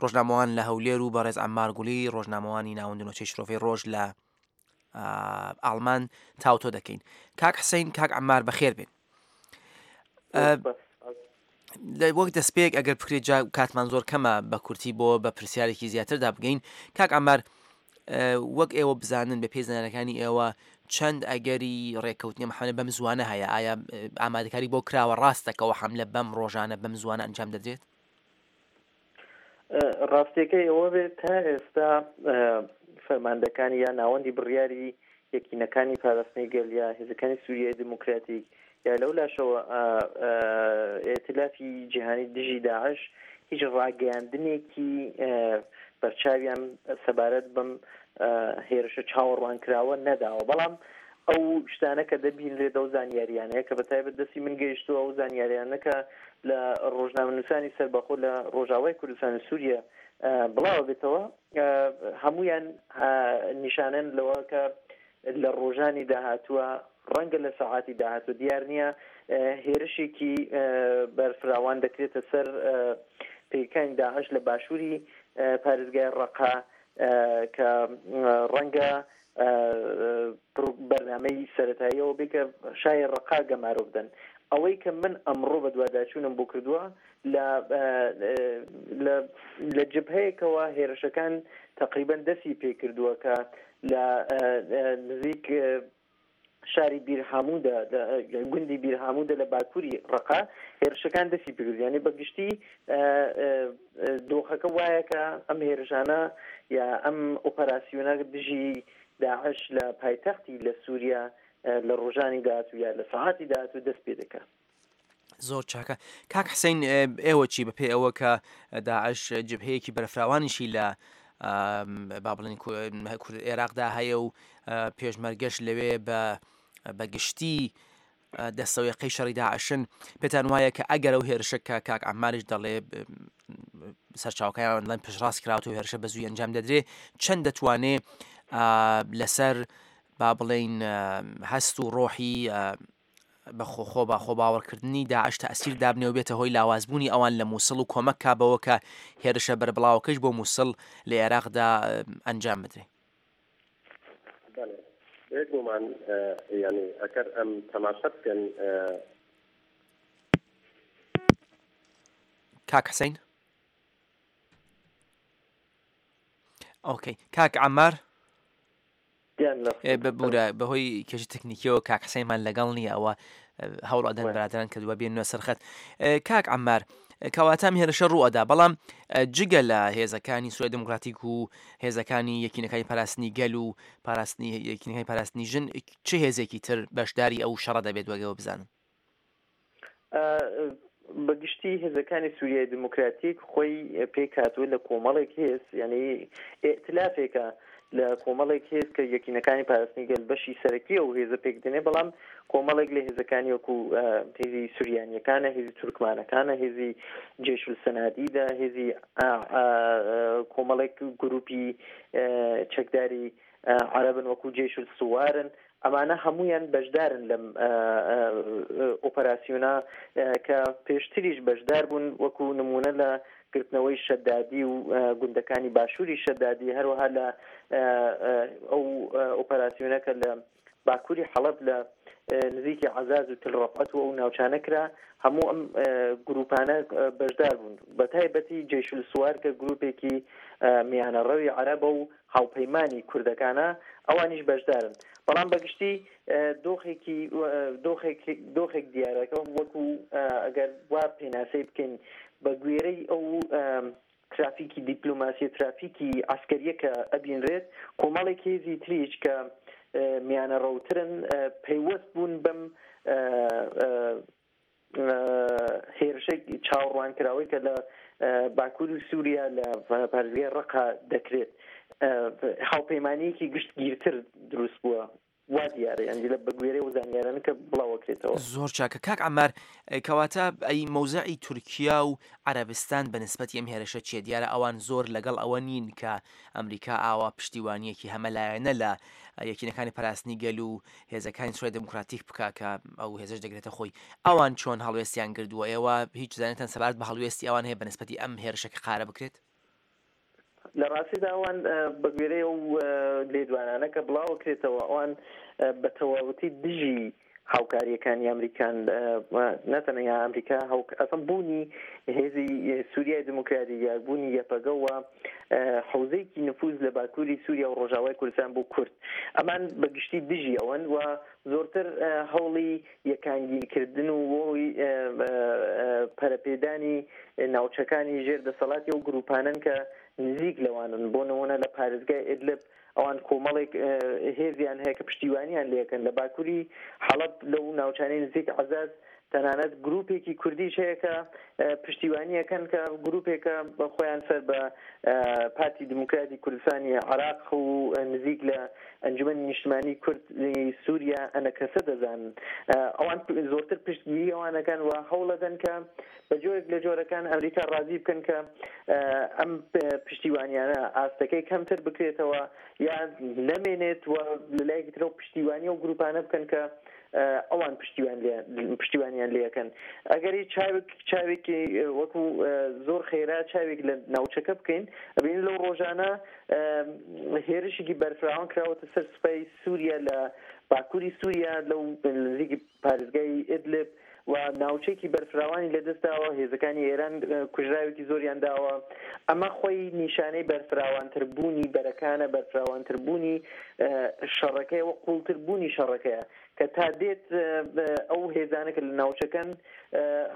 ڕۆژنامەوان لە هەولێر و بەڕێز عەممار گولی ڕۆژنامەوانی ناوەند نۆچەی شرۆڤەی ڕۆژ لە ئاڵمان تاوتۆ دەکەین. کاک حسین، کاک عەممار بەخێر بێن. وەک دەستپێک ئەگەر بکرێت جا کاتمان زۆر کەمە بە کورتی بۆ بە پرسیارێکی زیاتردا بگەین. کاک عەممار، وەک ئێوە بزانن بە پێی زانیاریەکانی ئێوە چەند ئەگەری ڕێککەوتنی ئەم حەملە بەم زوانە هەیە؟ ئایا ئامادەکاری بۆ کراوە ڕاستەکەەوە حەملە بەم ڕۆژانە بەم زوانە ئەنجام دەدرێت؟ ڕاستیەکەی ئەوە بێت تا ئێستا فەرماندەکانی یا ناوەندی بڕیاری یەکینەکانی پاراستنی گەل یا هێزەکانی سووریای دموکراتیک یا لەو لاشەوە ئیتلافی جیهانی دژی داعش هیچ ڕاگەیاندنێکی بەرچاویان سەبارەت بەم هێرشە چاوەڕوانکراوە نەداوە. بەڵام ئەو شتانە کە دەبینرێت ئەو زانیاریانەیە کە بە تایبەت دەستی من گەیشتووە، ئەو زانیاریانە کە لە ڕۆژنامەنووسانی سەربەخۆ لە ڕۆژاوای کوردستان و سووریا بڵاوە بێتەوە، هەمویان نیشانن لەوە کە لە ڕۆژانی داهاتووە، ڕەنگە لە سەعاتی داهاتوو دیار نییە، هێرشێکی بەرفراوان دەکرێتە سەر پێکانی داعش لە باشووری پارێزگای ڕەقە کە ڕەنگە بەرنامەی سەتاییەوە بێ کە شای ڕەقا گەمارۆ بدەن. ئەوەی کە من ئەمڕۆ بەدواداچوونم بۆ کردووە لە جبهەیەکەوە هێرشەکان تقریبا دەستی پێکردووە کە لە نزیک شاری بیرهاموودە، گوندی بیرهاموودە لە باکووری ڕەقا هێرشەکان دەستی پێکرد. یعنی بەگشتی دۆخەکە وایە کە ئەم هێرشانە یا ئەم ئۆپەراسیۆنە دژی داعش لە پایتەختی لە سووریا لە ڕۆژانی داهاتوو یا لە سەعاتی داهاتوو دەست پێ دەکات. زۆر چاکە. کاک حسین، ئێوە چی بەپێی ئەوە کە داعش جبهەیەکی بەرفراوانیشی لە با بڵێن عێراقدا هەیە و پێشمەرگەش لەوێ بە بەگشتی دەستەوەیەقەی شەڕی داعشن، پێتان وایە کە ئەگەر ئەو هێرشە کە کاک عەمماریش دەڵێ سەرچاوەکانیان دەڵێن پشتڕاست کراوەتەوە و هێرشە بە زووی ئەنجام دەدرێ، چەند دەتوانێ لەسەر با بڵێین هەست و ڕۆحی بە خۆ بە خۆ باوەڕکردنی داعش تەئسیر دابنێ و بێتە هۆی لاوازبوونی ئەوان لە مووسڵ و کۆمەک کا بەوە کە هێرشە بەربڵاوەکەش بۆ مووسڵ لە عێراقدا ئەنجام بدرێ؟ بێگومان، یعنی ئەگەر ئەم تەماشا بکەن. کاک حسین؟ ئۆکەی. کاک عەممار؟ ببورە بەهۆی کێشە تەکنیکیەوە کاک حسینمان لەگەڵ نییە، ئەوە هەوڵ ئەدەن برادران کە دووە بێننە سەرخەت. کاک عەممار، کەواتە ئەم هێرشە ڕوو ئەدا، بەڵام جگە لە هێزەکانی سووریای دموکراتیک و هێزەکانی یەکینەکانی پاراستنی گەل و پاراستنی یەکینەکانی پاراستنی ژن، چه هێزێکی تر بەشداری ئەو شەڕە دەبێت وەگەوە بزانن؟ بەگشتی هێزەکانی سووریای دموکراتیک خۆی پێکهاتووە لە کۆمەڵێک هێز، یعنی ئیتلافێکە لە کۆمەڵێک هێز کە یەکینەکانی پاراستنی گەل بەشی سەرەکی ئەو هێزە پێک دێنێ، بەڵام کۆمەڵێک لە هێزەکانی وەکو هێزی سوریانیەکانە، هێزی تورکمانەکانە، هێزی جێشول سەنادیدە، هێزی کۆمەڵێک گروپی چەکداری عەرەبن وەکو جێشول سوارن، ئەمانە هەمویان بەشدارن لەم ئۆپەراسیۆنە کە پێشتریش بەشدار بوون، وەکو نمونە لە گرتنەوەی شەدادی و گوندەکانی باشووری شەدادی، هەروەها لە ئەو ئۆپەراسیۆنە کە لە باکووری حەڵەب لە نزیکی عەزاز و تل ڕەفعەت و ئەو ناوچانە کرا، هەموو ئەم گروپانە بەشدار بوون، بە تایبەتی جەیشول سوار کە گروپێکی میانەڕەوی عەرەبە و هاوپەیمانی کوردەکانە، ئەوانیش بەشدارن. بەڵام بەگشتی دۆخێکی دۆخێک دۆخێک دیارەکە وەکو ئەگەر وا پێناسەی بکەین بە گوێرەی ئەو ترافیکی دیپلۆماسی، ترافیکی عەسکەریە کە ئەبینرێت، کۆمەڵێک هێزی تریش کە میانەڕەوترن پەیوەست بوون بەم هێرشەی چاوەڕوانکراوەی کە لە باکووری سووریا لە پارێزگای ڕەقە دەکرێت. هاوپەیمانییەکی گشتگیرتر دروست بووە وا دیارە، یانی لە بەگوێرەی ئەو زانیارانە کە بڵاوەکرێتەوە. زۆر چاکە کاک عەمار، کەواتە ئەی مەوزعی تورکیا و عەرەبستان بە نسبەتی ئەم هێرشە چیە؟ دیارە ئەوان زۆر لەگەڵ ئەوە نین کە ئەمریکا ئاوا پشتیوانیەکی هەمەلایەنە لە یەکینەکانی پاراستنی گەل و هێزەکانی سوریای دێموکراتیک بکا کە ئەو هێزەش دەگرێتە خۆی. ئەوان چۆن هەڵوێستیان گردووە؟ ئێوە هیچ زانیتان سەبارەت بە هەڵوێستی ئەوان هەیە بە نسبەتی ئەم هێرشە کە قارە بکرێت؟ لە ڕاستیدا ئەوان بە گوێرەی ئەو لێدوانانە کە بڵاوەکرێتەوە ئەوان بە تەواوەتی دژی هاوکاریەکانی ئەمریکان، نەتەنیا ئەمریکا، ئەسڵ بوونی هێزی سووریای دموکراتی یا بوونی یەپەگە و حوزەیەکی نفوز لە باکووری سووریا و ڕۆژاوای کوردستان بۆ کورد، ئەمان بە گشتی دژی ئەوەن و زۆرتر هەوڵی یەکانگیرکردن و پەرەپێدانی ناوچەکانی ژێر دەسەڵاتی ئەو گروپانەن کە نزیک لەوانن. بۆ نمونە لە پارێزگای ئیدلب ئەوان کۆمەڵێک هێزیان هەیە کە پشتیوانیان لێکەن، لە باکووری حەڵەب لەو ناوچانەی نزیک عەزاز تەنانەت گروپێکی کوردیش هەیە کە پشتیوانیەکەن کە گروپێکە خۆیان سەر بە پارتی دیموکراتی کوردستانی عراق و نزیک لە ئەنجومەنی نیشتمانی کورد سووریا ئەنەکەسە دەزانن. ئەوان زۆرتر پشتگیری ئەوانەکەن و هەوڵەدەن کە بە جۆرێک لە جۆرەکان ئەمریکا ڕازی بکەن کە ئەم پشتیوانیانە ئاستەکەی کەمتر بکرێتەوە یان نەمێنێت و لە لایەکی ترەوە پشتیوانی ئەو گروپانە بکەن کە ئەوان پشتیوانیان لێەکەن. ئەگەری چاوێک چاوێکی وەکو زۆر خێرا چاوێک لە ناوچەکە بکەین، ئەبینین لەو ڕۆژانە هێرشێکی بەرفراوان کراوەتە سەر سوپای سووریا لە باکووری سووریا لەو نزیکی پارێزگای ئیدلب و ناوچێکی بەرفراوانی لەدەستداوە، هێزەکانی ئێران کوژراوێکی زۆریان داوە. ئەمە خۆی نیشانەی بەرفراوانتربوونی بەرەکانە، بەرفراوانتربوونی شەڕەکەیە و قوڵتربوونی شەڕەکەیە کە تا دێت ئەو هێزانە کە لە ناوچەکەن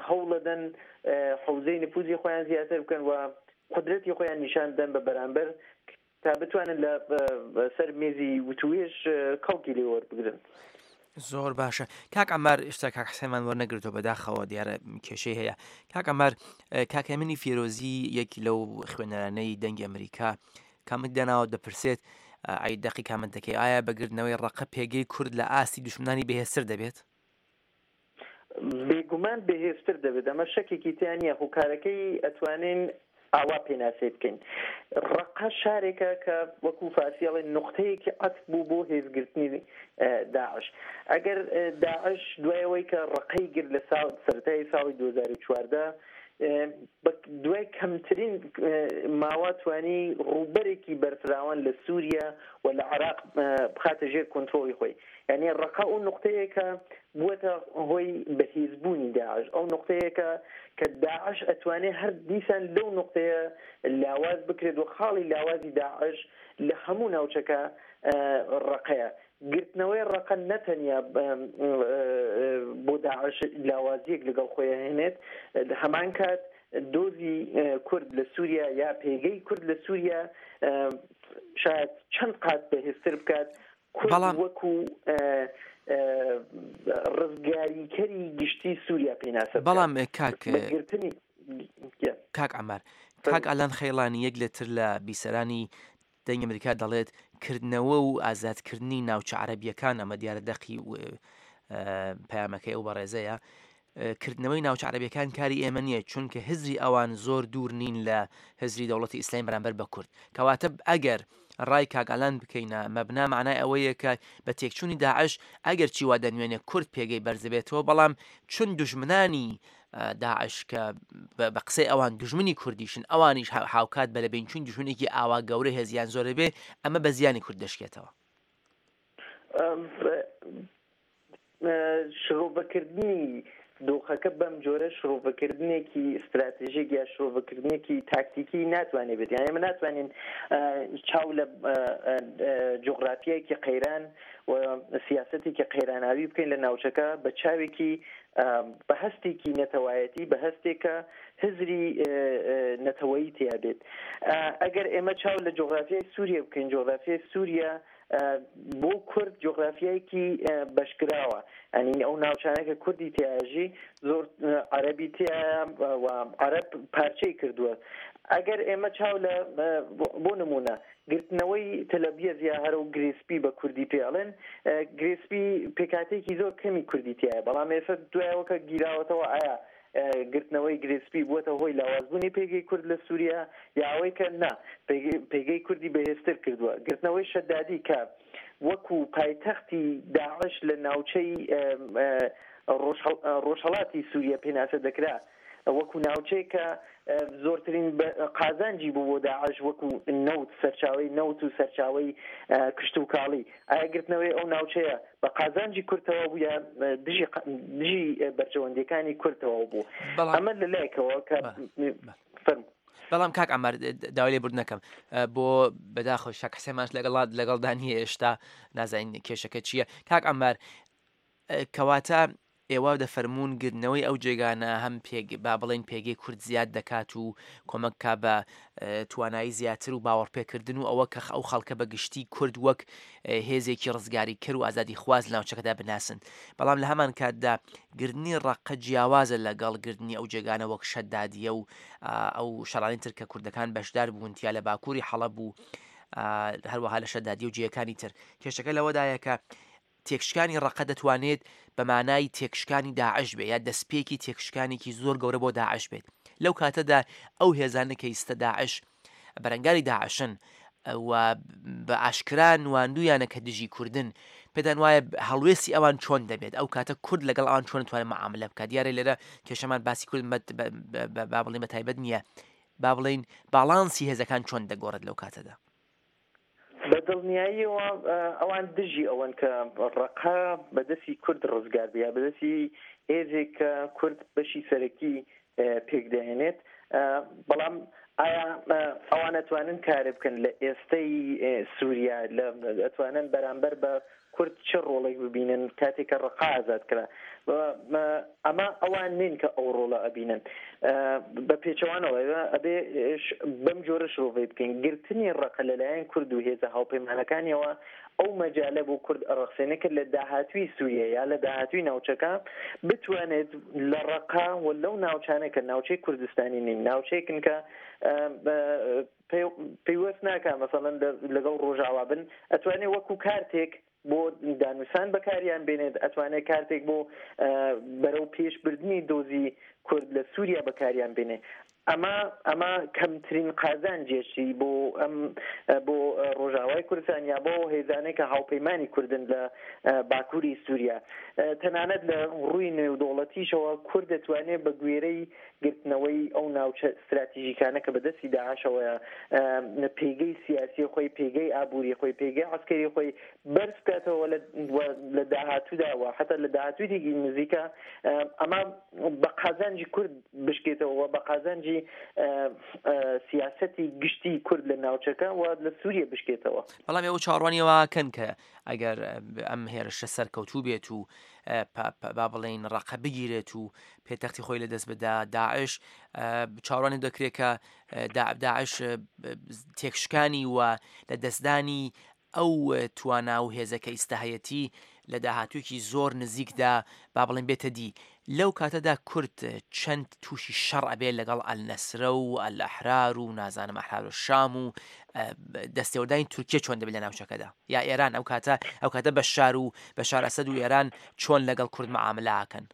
هەوڵەدەن حوزەی نفوزی خۆیان زیاتر بکەن و قودرەتی خۆیان نیشان بدەن بە بەرامبەر تا بتوانن لە سەر مێزی وتوێژ کەڵکی لێ وەربگرن. زۆر باشە کاک عەمار، ئێستا کاک حسێنمان وەرنەگرتەوە بەداخەوە، دیارە کێشەی هەیە. کاک عەمار، کاک هێمنی فێرۆزی یەکی لەو خوێنەرانەی دەنگی ئەمریکا کامنت داناوە دەپرسێت ئەی دەقی کامنتەکەی ئایا بەگرتنەوەی ڕەقە پێگەی کورد لە ئاستی دوشمنانی بەهێزتر دەبێت؟ بێگومان بەهێزتر دەبێت، ئەمە شەکێکی تیا نییە. هۆکارەکەی ئەتوانین ئاوا پێناسەی بکەین. ڕەقە شارێکە کە وەکو فارسی ئەڵێن نقطەیەکی عەتف بوو بۆ هێزگرتنی داعش. ئەگەر داعش دوای ئەوەی کە ڕەقەی گرت لە ساڵ سەرەتای ساڵی دوو هەزار و چواردە دوای کەمترین ماوە توانی ڕووبەرێکی بەرفراوان لە سووریا و لە عراق بخاتە ژێر کۆنترۆڵی خۆی. یعنی ڕەقە ئەو نقطەیەکە بووەتە هۆی بەهێزبوونی داعش، ئەو نقطەیەکە کە داعش ئەتوانێت هەر دیسان لەو نقطەیە لاواز بکرێت و خاڵی لاوازی داعش لە هەموو ناوچەکە ڕەقەیە. گرتنەوەی ڕەقە نەتەنیا بۆ داعش لاوازیەک لەگەڵ خۆی هێنێت، هەمان کات دۆزی کورد لە سووریا یا پێگەی کورد لە سووریا شاید چەند قات بەهێزتر بکات. کورد وەکو ڕزگاریکەری گشتی سووریا پێناسە بکات. بەڵام کاک بەگرتنی کاک عەمار، کاک ئالان خەیڵانی یەک لەتر لە بیسەرانی دەنگی ئەمریکا دەڵێت کردنەوە و ئازادکردنی ناوچە عەرەبیەکان، ئەمە دیارە دەقی پەیامەکەی ئەو بەڕێزەیە، کردنەوەی ناوچە عەرەبیەکان کاری ئێمە نییە، چونکە هزری ئەوان زۆر دوور نین لە هزری دەوڵەتی ئیسلامی بەرامبەر بە کورد. کەواتە ئەگەر ڕای کاگالان بکەینە مەبنا معنای ئەوەیە کە بە تێکچوونی داعش ئەگەر چی وا دەنوێنێ کورد پێگەی بەرزبێتەوە، بەڵام چون دوژمنانی داعش کە بە قسەی ئەوان دوژمنی کوردیشن، ئەوانیش هاوکات بە لەبینچوون دوژمنێکی ئاوا گەورە هێزیان زۆرە بێ، ئەمە بە زیانی کورد دەشکێتەوە. شرۆڤەکردنی دۆخەکە بەم جۆرە شرۆڤەکردنێکی ستراتژیک یا شرۆڤەکردنێکی تاکتیکی ناتوانێت بێت. یان ئێمە ناتوانین چاو لە جوغرافیایەکی قەیران و سیاسەتێکی قەیراناوی بکەین لە ناوچەکە بە چاوێکی بە هەستێکی نەتەوایەتی، بە هەستێکە هزری نەتەوەیی تیا بێت. ئەگەر ئێمە چاو لە جوغرافیای سووریا بکەین، جوغرافیای سووریا بۆ کورد جوغرافیایەکی بەشکراوە، یعنی ئەو ناوچانە کە کوردی تیاژی زۆر عەرەبی تیایە و عەرەب پارچەی کردووە. ئەگەر ئێمە چاو لە بۆ نمونە گرتنەوەی تەلەبیەز یا هەرە و گرێسپی بە کوردی پێڵێن، گرێسپی پێکاتێکی زۆر کەمی کوردی تیایە، بەڵام ئێستا دوایەوە کە گیراوەتەوە ئایا گرتنەوەی گرێسپی بووەتە هۆی لاوازبوونی پێگەی کورد لە سووریا یا ئەوەی کە نا پێگەی کوردی بەهێزتر کردووە. گرتنەوەی شەدادی کە وەکو پایتەختی داعش لە ناوچەی ڕۆژهەڵاتی سووریا پێناسە دەکرا، وەکو ناوچەیە کە زۆرترین قازانجی بوو بۆ داعش وەکو نەوت، سەرچاوی نەوت و سەرچاوی کشتوکاڵی، ئایا گرتنەوەی ئەو ناوچەیە بە قازانجی کورتەوە بوو یا دژی دژی بەرژەوەندیەکانی کورتەوە بوو؟ ئەمە لەلایەکەوە کە فەرموو. بەڵام کاک عەمار داوای لێبوردن نەکەم بۆ بەداخەوە شاک حسێنمانش لەگەڵ لەگەڵدا نییە ئێشتا، نازانین کێشەکە چییە. کاک عەمار، کەواتە ئێوە دەفەرمونون گرنەوەی ئەو جێگانە هەم با بڵێن پێگەی کورد زیاد دەکات و کۆمەکka بە توانایی زیاتر و باوەڕپێکردن و ئەوە کە ئەو خەڵکە بە گشتی کورد وەک هێزێکی ڕزگاری کر و ئازادی خواز ناوچەکەدا بناسن. بەڵام لە هەمان کاتدا گردنی ڕەقە جیاوازە لەگەڵ گردنی ئەو جێگانە وەک شەدادیە و ئەو شەڕانی تر کە کوردەکان بەشدار بوون تیا لە باکووری حەڵەب و هەروەها لە شەدادی و جێیەکانی تر. کێشەکە لەوەدایە کە تێکشکانی ڕەقە دەتوانێت بە مانای تێکشکانی داعش بێت یا دەستپێکی تێکشکانێکی زۆر گەورە بۆ داعش بێت. لەو کاتەدا ئەو هێزانە کە ئیستا داعش بەرەنگاری داعشن و بە ئاشکرا نواندویانە کە دژی کوردن، پێدان وایە هەڵوێستی ئەوان چۆن دەبێت؟ ئەو کاتە کورد لەگەڵ ئەوان چۆن توانێت معاملە بکات؟ دیارە لێرە کێشەمان باسی کورد با بڵێین بە تایبەت نییە، با بڵێین باڵانسی هێزەکان چۆن دەگۆڕێت لەو کاتەدا؟ بە دڵنیاییەوە ئەوان دژی ئەوەن کە ڕەقە بەدەستی کورد ڕزگار بێ، بەدەستی هێزێک کە کورد بەشی سەرەکی پێک دەهێنێت. بەڵام ئایا ئەوان ئەتوانن کارێ بکەن لە ئێستەی سووریا؟ ئەتوانن بەرامبەر بە کورد چه ڕۆڵێک ببینن کاتێک کە ڕەقا ئازاد کرا؟ ئەمە ئەوان نین کە ئەو ڕۆڵە ئەبینن. بە پێچەوانەوە ئەبێ بەم جۆرە شرۆڤەی بکەین، گرتنی ڕەقە لەلایەن کورد و هێزە هاوپەیمانەکانیەوە ئەو مەجالە بۆ کورد ئەڕەخسێنێ کرد لە داهاتوی سووریا یا لە داهاتوی ناوچەکە بتوانێت لە ڕەقا و لەو ناوچانە کە ناوچەی کوردستانی نین، ناوچەیەکن کە پەیوەست ناکە مەسەڵەن لەگەڵ ڕۆژاوا بن، ئەتوانێت وەکو کارتێک بۆ دانوسان بەکاریان بێنێت، ئەتوانێت کارتێک بۆ بەرەو پێشبردنی دۆزی کورد لە سووریا بەکاریان بێنێ. ئەمە ئەمە کەمترین قازانجێکی بۆ ئەم بۆ ڕۆژاوای کوردستان یا بۆ هێزانێک کە هاوپەیمانی کوردن لە باکووری سووریا. تەنانەت لە ڕووی نێودەوڵەتیشەوە کورد دەتوانێت بە گوێرەی گرتنەوەی ئەو ناوچە استراتیژیکانە کە بەدەستی داعشەوەیە پێگەی سیاسی خۆی، پێگەی ئابووری خۆی، پێگەی عەسکەری خۆی بەرز بکاتەوە لە داهاتوودا و حتا لە داهاتوویەکی نزیکە ئەمە بە قازانجی کورد بشکێتەوە، بە قازانجی سیاسەتی گشتی کورد لە ناوچەکە و لە سووریا بشکێتەوە. بەڵام ئێوە چاوەڕوانیەوە کەن کە ئەگەر ئەم هێرشە سەرکەوتوو بێت و با بڵێین ڕەقە بگیرێت و پێتەختی خۆی لەدەست بدا داعش، چاوەڕوانی دەکرێت کە داعش تێکشکانی و لە دەستدانی ئەو توانا و هێزەکە ئیستا هەیەتی لە داهاتوویەکی زۆر نزیکدا با بڵێن بێتە دی. لەو کاتەدا کورد چەند تووشی شەڕ ئەبێت لەگەڵ ئەلنەسرە و ئەلئەحرار و نازانم ئەحرار و شام و دەستێوەردانی تورکیا چۆن دەبێت لە ناوچەکەدا یا ئێران؟ ئەو کاتە ئەو کاتە بەشار و بەشار ئەسەد و ئێران چۆن لەگەڵ کورد معاملە ئەکەن؟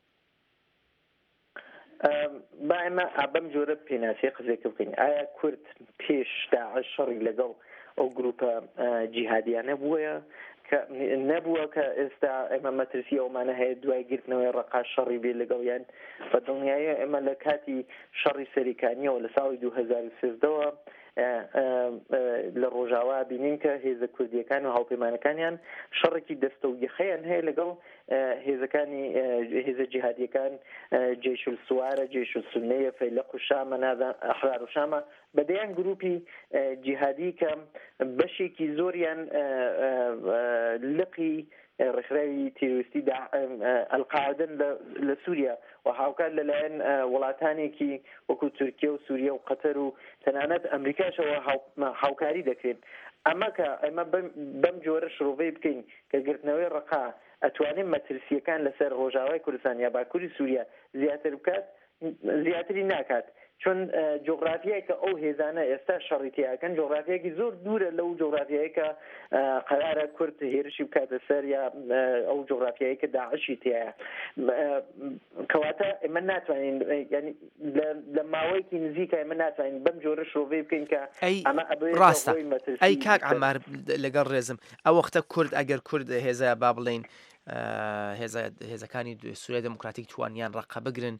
با ئێمە بەم جۆرە پێناسەی قزێکە بکەین. ئایا کورد پێش داعش شەڕی لەگەڵ ئەو گروپە جیهادیانە بووە کە نەبووە کە ئێستا ئێمە مەترسی ئەومانە هەیە دوای گرتنەوەی ڕەقا شەڕی بێ لەگەڵیان؟ بە دڵنیایی ئێمە لە کاتی شەڕی سەریکانیەوە لە ساڵی دوو هەزار و سێزدەوە لە ڕۆژاوا بینین کە هێزە کوردیەکان و هاوپەیمانەکانیان شەڕێکی دەستە و یەخەیان هەیە لەگەڵ هێزەکانی هێزە جیهادیەکان، جەیش السوارە، جەیش السنەیە، فەیلەق و شامە، ئەحرار و شامە، بەدەیان گروپی جیهادی کە بەشێکی زۆریان لقی ڕێکخراوی تیرۆریستی ئەلقاعدەن لە سووریا و هاوکات لەلایەن وڵاتانێکی وەکو تورکیا و سووریا و قەتەر و تەنانەت ئەمریکاشەوە هاوکاری دەکرێن. ئەمە کە ئێمە بەم جۆرە شرۆڤەی بکەین کە گرتنەوەی ڕەقا ئەتوانێت مەترسیەکان لەسەر ڕۆژاوای کوردستان یا باکووری سووریا زیاتر بکات، زیاتری ناکات، چون جۆغرافیای کە ئەو هێزانە ئێستا شەڕی تیاکەن جۆغرافیایەکی زۆر دوورە لەو جۆغرافیایی کە قەرارە کورد هێرشی بکاتە سەر یا ئەو جۆغرافیایی کە داعشی تیایە. کەواتە ئێمە ناتوانین، ینی لە ماوەیەکی نزیکە ئێمە ناتوانین بەم جۆرە شرۆڤەی بکەین کە ئەمە ڕاستە. ئەی کاک عەمار لەگەڵ ڕێزم، ئەو وەختە کورد ئەگەر کورد هێزە با بڵێین هێزەکانی سووریا دێموکراتیک توانیان ڕەقە بگرن،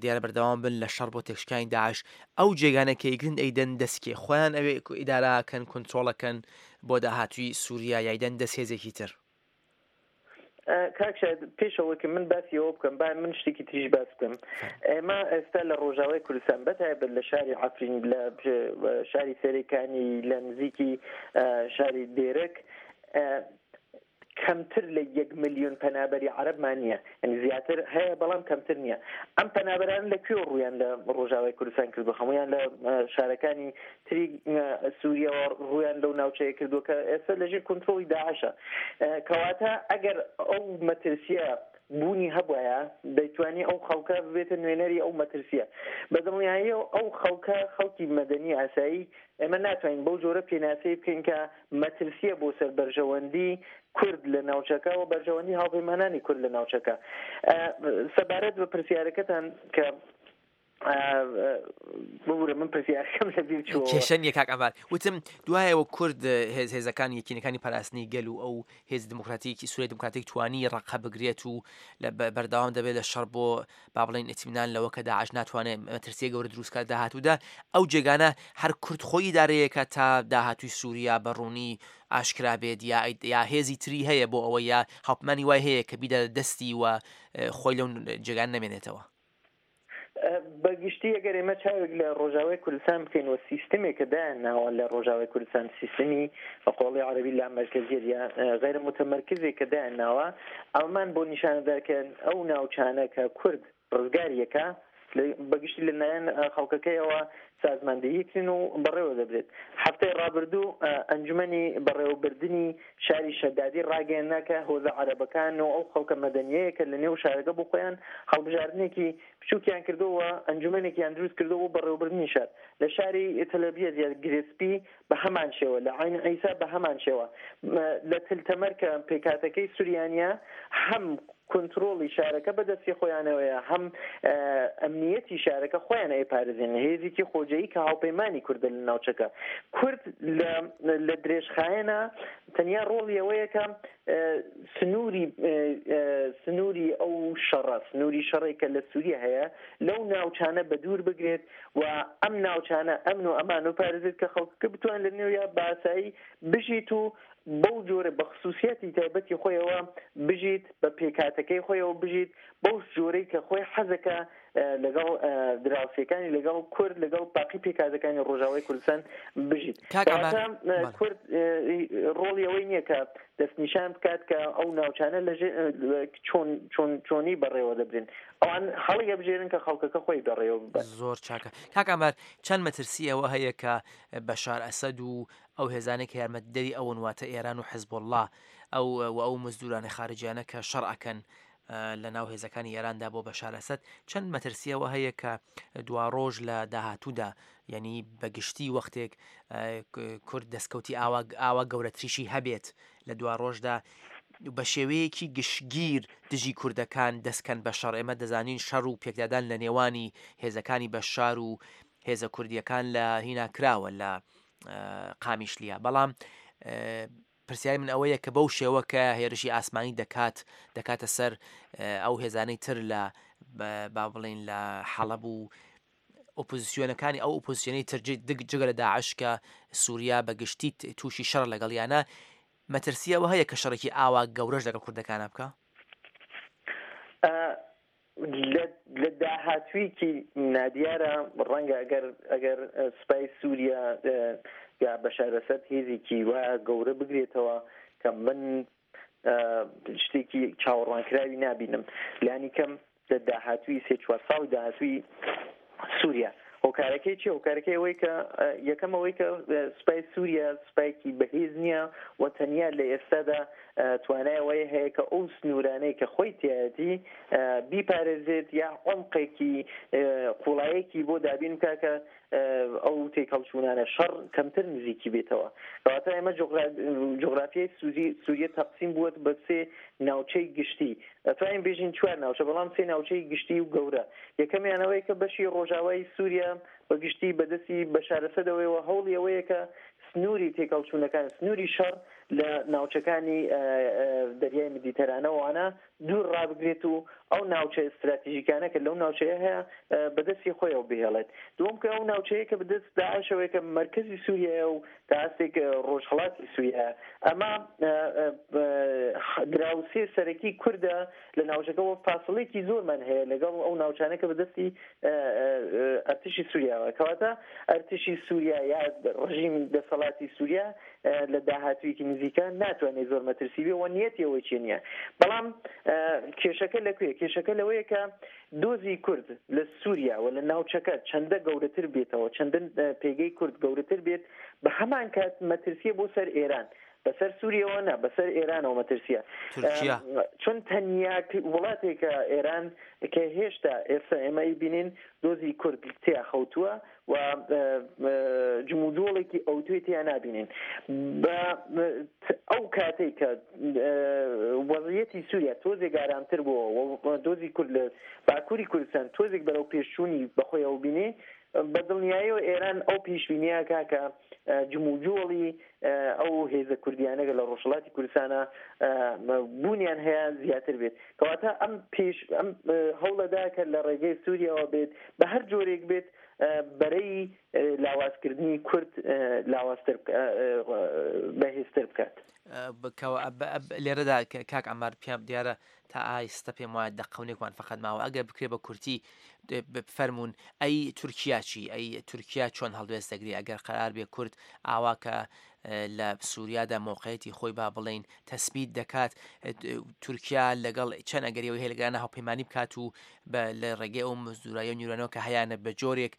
دیارە بەردەوام بن لە شەڕ بۆ تێکشکانی داعش، ئەو جێگانە کە یگرن ئەیدەن دەستکێ خۆیان ئەوێ ئیداراکەن، کۆنترۆڵەکەن بۆ داهاتووی سووریا یایدەن دەست هێزێکی تر؟ کاک شاید پێشەوە کە من باسی ئەوە بکەم با من شتێکی تریش باس بکەم. ئێمە ئێستا لە ڕۆژاوای کوردستان بەتایبەت لە شاری عەفرین، لە شاری سەرێکانی، لە نزیکی شاری دێرک کەمتر لە یەک ملیۆن پەنابەری عەرەبمان نییە، یعنی زیاتر هەیە بەڵام کەمتر نییە. ئەم پەنابەران لە کوێ ڕوویان لە ڕۆژاوای کوردستان کردو؟ هەمویان لە شارەکانی تری سووریاوە ڕوویان لەو ناوچەیە کردووە کە ئێستا لەژێر کۆنترۆڵی داعشە. کەواتە ئەگەر ئەو مەترسیە بوونی هەبوایە دەیتوانی ئەو خەڵکە ببێتە نوێنەری ئەو مەترسیە. بەدڵنیایی ئەو خەڵکە خەڵکی مەدەنی ئاسایی ئێمە ناتوانین بەو جۆرە پێناسەی بکەین کە مەترسیە بۆ سەر بەرژەوەندی کورد لە ناوچەکە و بەرژەوەندی هاوپەیمانانی کورد لە ناوچەکە. سەبارەت بە پرسیارەکەتان کە ببورە من پرسیارەکەم لەبیر چووەوە. کێشە نییە کاک عەمار. وتم دوایەوە کورد هێز هێزەکان یەکینەکانی پاراستنی گەل و ئەو هێز دموکراتیکی سووریای دموکراتیک توانی ڕەقە بگرێت و لە بەردەوام دەبێت لە شەڕ بۆ با بڵێین ئیتمینان لەوە کە داعش ناتوانێت مەترسیە گەورە دروست کات داهاتوودا، ئەو جێگانە هەر کورد خۆی ئیدارەیەکە تا داهاتووی سووریا بە ڕوونی ئاشکرا بێت، یا یا هێزی تری هەیە بۆ ئەوە یا هاوپەیمانی وای هەیە کە بیدە دەستی و خۆی لەو جێگان نەمێنێتەوە؟ بەگشتی ئەگەر ئێمە چاوێک لە ڕۆژاوای کوردستان بکەین و سیستمێک کە دایان ناوە لە ڕۆژاوای کوردستان، سیستمی بە قۆڵی عەرەبی لا مەرکەزیەت یا غەیرە متەمەرکزێک کە دایان ناوە، ئەومان بۆ نیشانەدا کە ئەو ناوچانە کە کورد ڕزگاریەکە بەگشتی لەلایەن خەڵکەکەیەوە سازماندەهیکردن و بەڕێوە دەبرێت. هەفتەی ڕابردوو ئەنجومەنی بەڕێوەبردنی شاری شەدادی ڕاگەیەننا کە هۆزە عەرەبەکان و ئەو خەڵکە مەدەنیەیە کە لە نێو شارەکە بۆ خۆیان هەڵبژاردنێکی بچووکیان کردەوە، ئەنجومەنێکیان دروست کردەوە بۆ بەڕێوەبردنی شار. لە شاری تەلەبیەت یا گرێسپی بە هەمان شێوە، لە عین عیسا بە هەمان شێوە، لە تلتەمەر کە پێکاتەکەی سوریانە هەم کۆنترۆڵی شارەکە بەدەستی خۆیانەوەیە، هەم ئەمنیەتی شارەکە خۆیان ئەیپارێزێن. هێزێکی خۆجێی کە هاوپەیمانی کوردە لە ناوچەکە. کورد لە درێژخایەنە تەنیا ڕۆڵی ئەوەیە کە سنووری سنووری ئەو شەڕە، سنووری شەڕێک کە لە سووریا هەیە لەو ناوچانە بە دوور بگرێت و ئەم ناوچانە ئەمن و ئەمان و پارێزێت کە خەڵکەکە بتوان لە نێویا باسایی بژیت و بەو جۆرە بە خصوصیاتی تایبەتی خۆیەوە بژیت، بە پێکاتەکەی خۆیەوە بژیت، بەو جۆرەی کە خۆی حەزەکە لەگەڵ دراوسێکانی، لەگەڵ کورد، لەگەڵ باقی پێکاتەکانی ڕۆژاوای کوردستان بژیت. کورد ڕۆڵی ئەوەی نییە کە دەستنیشان بکات کە ئەو ناوچانە لە چۆن چۆن چۆنی بەڕێوە دەبرێن، ئەوان هەڵی ئەبژێرن کە خەڵکەکە خۆی بەڕێوە ببات. زۆر چاکە کاک عەمار، چەند مەترسی ئەوە هەیە کە بەشار ئەسەد و ئەو هێزانەی کە یارمەتیدەری ئەون واتە ئێران و حزبوڵڵا ئەو و ئەو مزدورانە خارجیانە کە شەڕ ئەکەن لە ناو هێزەکانی ئێراندا بۆ بەشار ئەسەد، چەند مەترسیەوە هەیە کە دوا ڕۆژ لە داهاتوودا، یعنی بەگشتی وەختێک کورد دەستکەوتی ئاوا ئاوا گەورەتریشی هەبێت لە دوا ڕۆژدا بە شێوەیەکی گشتگیر دژی کوردەکان دەستکەن بە شەڕ؟ ئێمە دەزانین شەڕ و پێکدادان لە نێوانی هێزەکانی بەشار و هێزە کوردیەکان لە هینا کراوە لە قامیشلیا، بەڵام پرسیاری من ئەوەیە کە بەو شێوە کە هێرشی ئاسمانی دەکات دەکاتە سەر ئەو هێزانەی تر لە با بڵین لە حەڵەب و ئۆپۆزیسیۆنەکانی ئەو ئۆپۆزیسیۆنەی تر جگە لە داعش کە سووریا بە گشتی تووشی شەڕ لەگەڵیانە، مەترسی ئەوە هەیە کە شەڕێکی ئاوا گەورەش لەگەڵ کوردەکانە بکا؟ لە داهاتوویەکی نادیارە ڕەنگە ئەگەر ئەگەر سوپای سووریا یا بەشار ئەسەد هێزێکی وا گەورە بگرێتەوە کە من شتێکی چاوەڕوانکراوی نابینم لانی کەم لە داهاتووی سێ چوار ساڵی داهاتووی سووریا. هۆکارەکەی چییە؟ هۆکارەکەی ئەوەی کە یەکەم ئەوەی کە سوپای سووریا سوپایەکی بەهێز نییە و تەنیا لە ئێستادا توانای ئەوەی هەیە کە ئەو سنوورانەی کە خۆی تیایەتی بیپارێزێت یا عمقێکی قوڵایەکی بۆ دابین بکا کە ئەو تێکهەڵچوونانە شەڕ کەمتر نزیکی بێتەوە. کەواتە ئێمە جوغرافیای سووریە تەقسیم بووە بە سێ ناوچەی گشتی، ئەتوانین بێژین چوار ناوچە بەڵام سێ ناوچەی گشتی و گەورە. یەکەمیان ئەوەیە کە بەشی ڕۆژاوای سووریا بە گشتی بەدەستی بەشار ئەسەدەوەیەوە هەوڵی ئەوەیە کە سنووری تێکەڵچوونەکان، سنووری شەڕ لە ناوچەکانی دەریای مدیتەرانەوانە دوور ڕابگرێت و ئەو ناوچە ئستراتیژیکانە کە لەو ناوچەیە هەیە بەدەستی خۆیەوە بهێڵێت. دووەم کە ئەو ناوچەیە کە بەدەست داعشەوەیە کە مەرکەزی سووریایە و تا ئاستێک ڕۆژهەڵاتی سووریا، ئەمە دراوسێ سەرەکی کوردە لە ناوچەکەەوە، فاصلێکی زۆرمان هەیە لەگەڵ ئەو ناوچانە کە بەدەستی ئەرتشی سووریاوە. کەواتە ئەرتشی سووریا یا ڕژیم دەسەڵاتی سووریا لە داهاتوویەکی نزیکە ناتوانێت زۆر مەترسی بێ و نیەتی ئەوەی چێ نییە. بەڵام کێشەکە لەکوێ؟ کێشەکە لەوەیە کە دۆزی کورد لە سووریا و لە ناوچەکە چەندە گەورەتر بێتەوە، چەندە پێگەی کورد گەورەتر بێت، بە هەمان کات مەترسیە بۆ سەر ئێران، بەسەر سووریەوە نا، بەسەر ئێرانەوە مەترسیە. تورکیا چون تەنیا وڵاتێکە ئێران کە هێشتا ئێستا ئێمە ئەیبینین دۆزی کورد تیا خەوتووە و جموجۆڵێکی ئەوتوێ تیا نابینین. بە ئەو کاتێک کە وەزعیەتی سووریا تۆزێک ئارامتر بووە و دۆزی کورد لە باکووری کوردستان تۆزێک بەرەو پێشچوونی بەخۆیەوە بینێ، بە دڵنیاییەوە ئێران ئەو پێشبینیە کا کە جموجۆڵی ئەو هێزە کوردیانە لە ڕۆژهەڵاتی کوردستانە بوونیان هەیە زیاتر بێت. کەواتە ئەم پێش ئەم هەوڵەدا کە لە ڕێگەی سووریاوە بێت بە هەر جۆرێک بێت بەرەی لاوازکردنی کورد لاوازتر بەهێزتر بکات. لێرەدا کاک عەمار پێم دیارە تا ئایستە پێم وایە دەقەونێکمان فقط ماوە، ئەگەر بکرێ بە کورتی بفەرمونون ئەی تورکیا چی؟ ئەی تورکیا چۆن هەڵوێست دەگری ئەگەر قەرار بێ کورد ئاوا کە لە سووریادا مۆقعەتی خۆی با بڵین تەسبیت دەکات، تورکیا لەگەڵ چەند ئەگەریەوە هەیە لەگەڵ هاوپەیمانی بکات و لە ڕێگەی ئەو مزدورایی و نیرانەوە کە هەیانە بە جۆرێک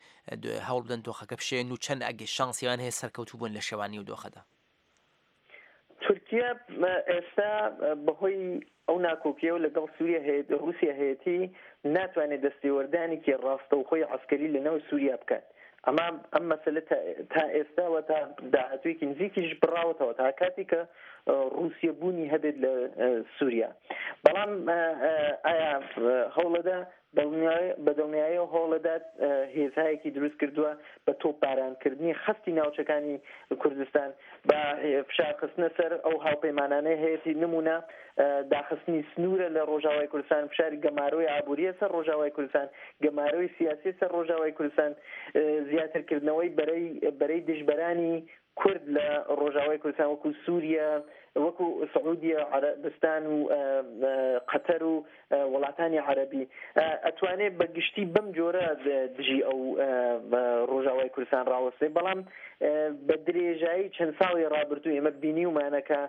هەوڵ بدەن دۆخەکە بشێن و چەند ئەگەر شانسیان هەیە سەرکەوتوو بوون لە شێوانی و دۆخەدا؟ تورکیا ئێستا بەهۆی ئەو ناکۆکیەوە لەگەڵ سووریا هەیە ڕووسیا هەیەتی ناتوانێت دەستێوەردانێکی ڕاستەوخۆی عەسکەری لەناو سووریا بکات. ئەما ئەم مەسەلە تا ئێستاوە تا داهاتوویەکی نزیکیش بڕاوەتەوە تا کاتێک کە ڕووسیا بوونی هەبێت لە سووریا. بەڵام ئایا هەوڵەدا بە دڵنیاییەوە هەوڵەدات هێزهایەکی دروست کردووە بە تۆپبارانکردنی خەستی ناوچەکانی کوردستان، بە فشارخستنە سەر ئەو هاوپەیمانانەی هەیەتی، نمونە داخستنی سنوورە لە ڕۆژاوای کوردستان، فشاری گەمارۆی ئابووریە سەر ڕۆژاوای کوردستان، گەمارۆی سیاسی سەر ڕۆژاوای کوردستان، زیاترکردنەوەی بەرەی دژبەرانی کورد لە ڕۆژاوای کوردستان وەکو سووریا، وەکو سعودیە، عەرەبستان و قەتەر و وڵاتانی عەرەبی. ئەتوانێت بە گشتی بەم جۆرە دژی ئەو ڕۆژاوای کوردستان ڕاوەستێ. بەڵام بە درێژایی چەند ساڵی ڕابردوو ئێمە بینیومانە کە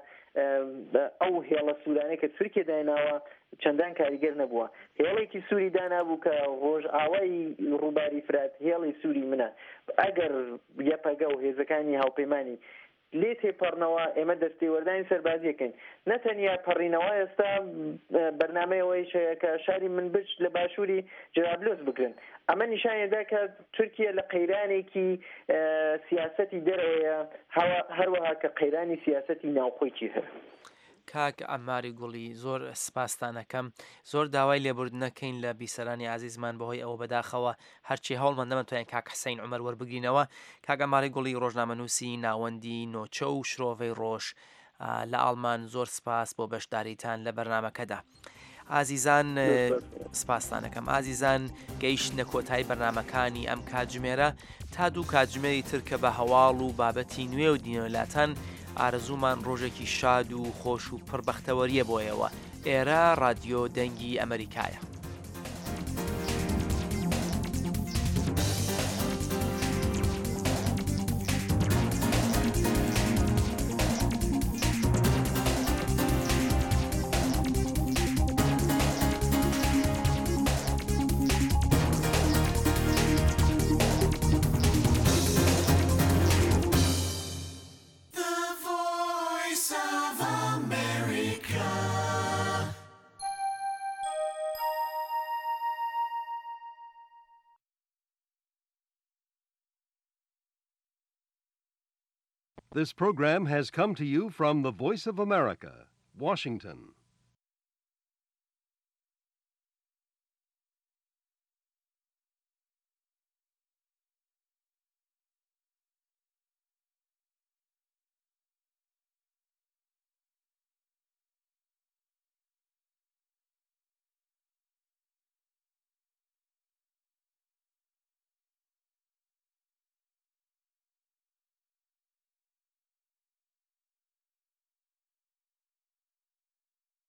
ئەو هێڵە سوورانەی کە تورکیا دایناوە چەندان کاریگەر نەبووە. هێڵێکی سووری دانابوو کە ڕۆژئاوای ڕووباری فرات هێڵی سووری منە، ئەگەر یەپەگە و هێزەکانی هاوپەیمانی لێ تێپەڕنەوە ئێمە دەستێوەردانی سەربازیەکەین. نەتەنیا پەڕینەوە، ئێستا بەرنامەیەوەیش هەیە کە شاری منبج لە باشووری جەرابلوس بگرن. ئەمە نیشانێدا کە تورکیا لە قەیرانێکی سیاسەتی دەرەوەیە، هەروەها کە قەیرانی سیاسەتی ناوخۆی چی هەیە. کاک عەماری گوڵی زۆر سپاستانەکەم، زۆر داوای لێبوردنەکەین لە بیسەرانی ئازیزمان بەهۆی ئەوە بەداخەوە هەرچی هەوڵمان نەمەتوانین کاک حسین عومەر وەربگرینەوە. کاک عەماری گوڵی ڕۆژنامەنووسی ناوەندی نۆچە و شرۆڤەی ڕۆژ لە ئاڵمان، زۆر سپاس بۆ بەشداریتان لە بەرنامەکەدا. ئازیزان سپاستانەکەم. ئازیزان گەیشتنە کۆتایی بەرنامەکانی ئەم کاتژمێرە. تا دوو کاتژمێری تر کە بە هەواڵ و بابەتی نوێ و دینەوەلاتان، ئارەزوومان ڕۆژێکی شاد و خۆش و پڕ بەختەوەریە بۆیەوە. ئێرە ڕادیۆ دەنگی ئەمریکایە. This program has come to you from the Voice of America, Washington.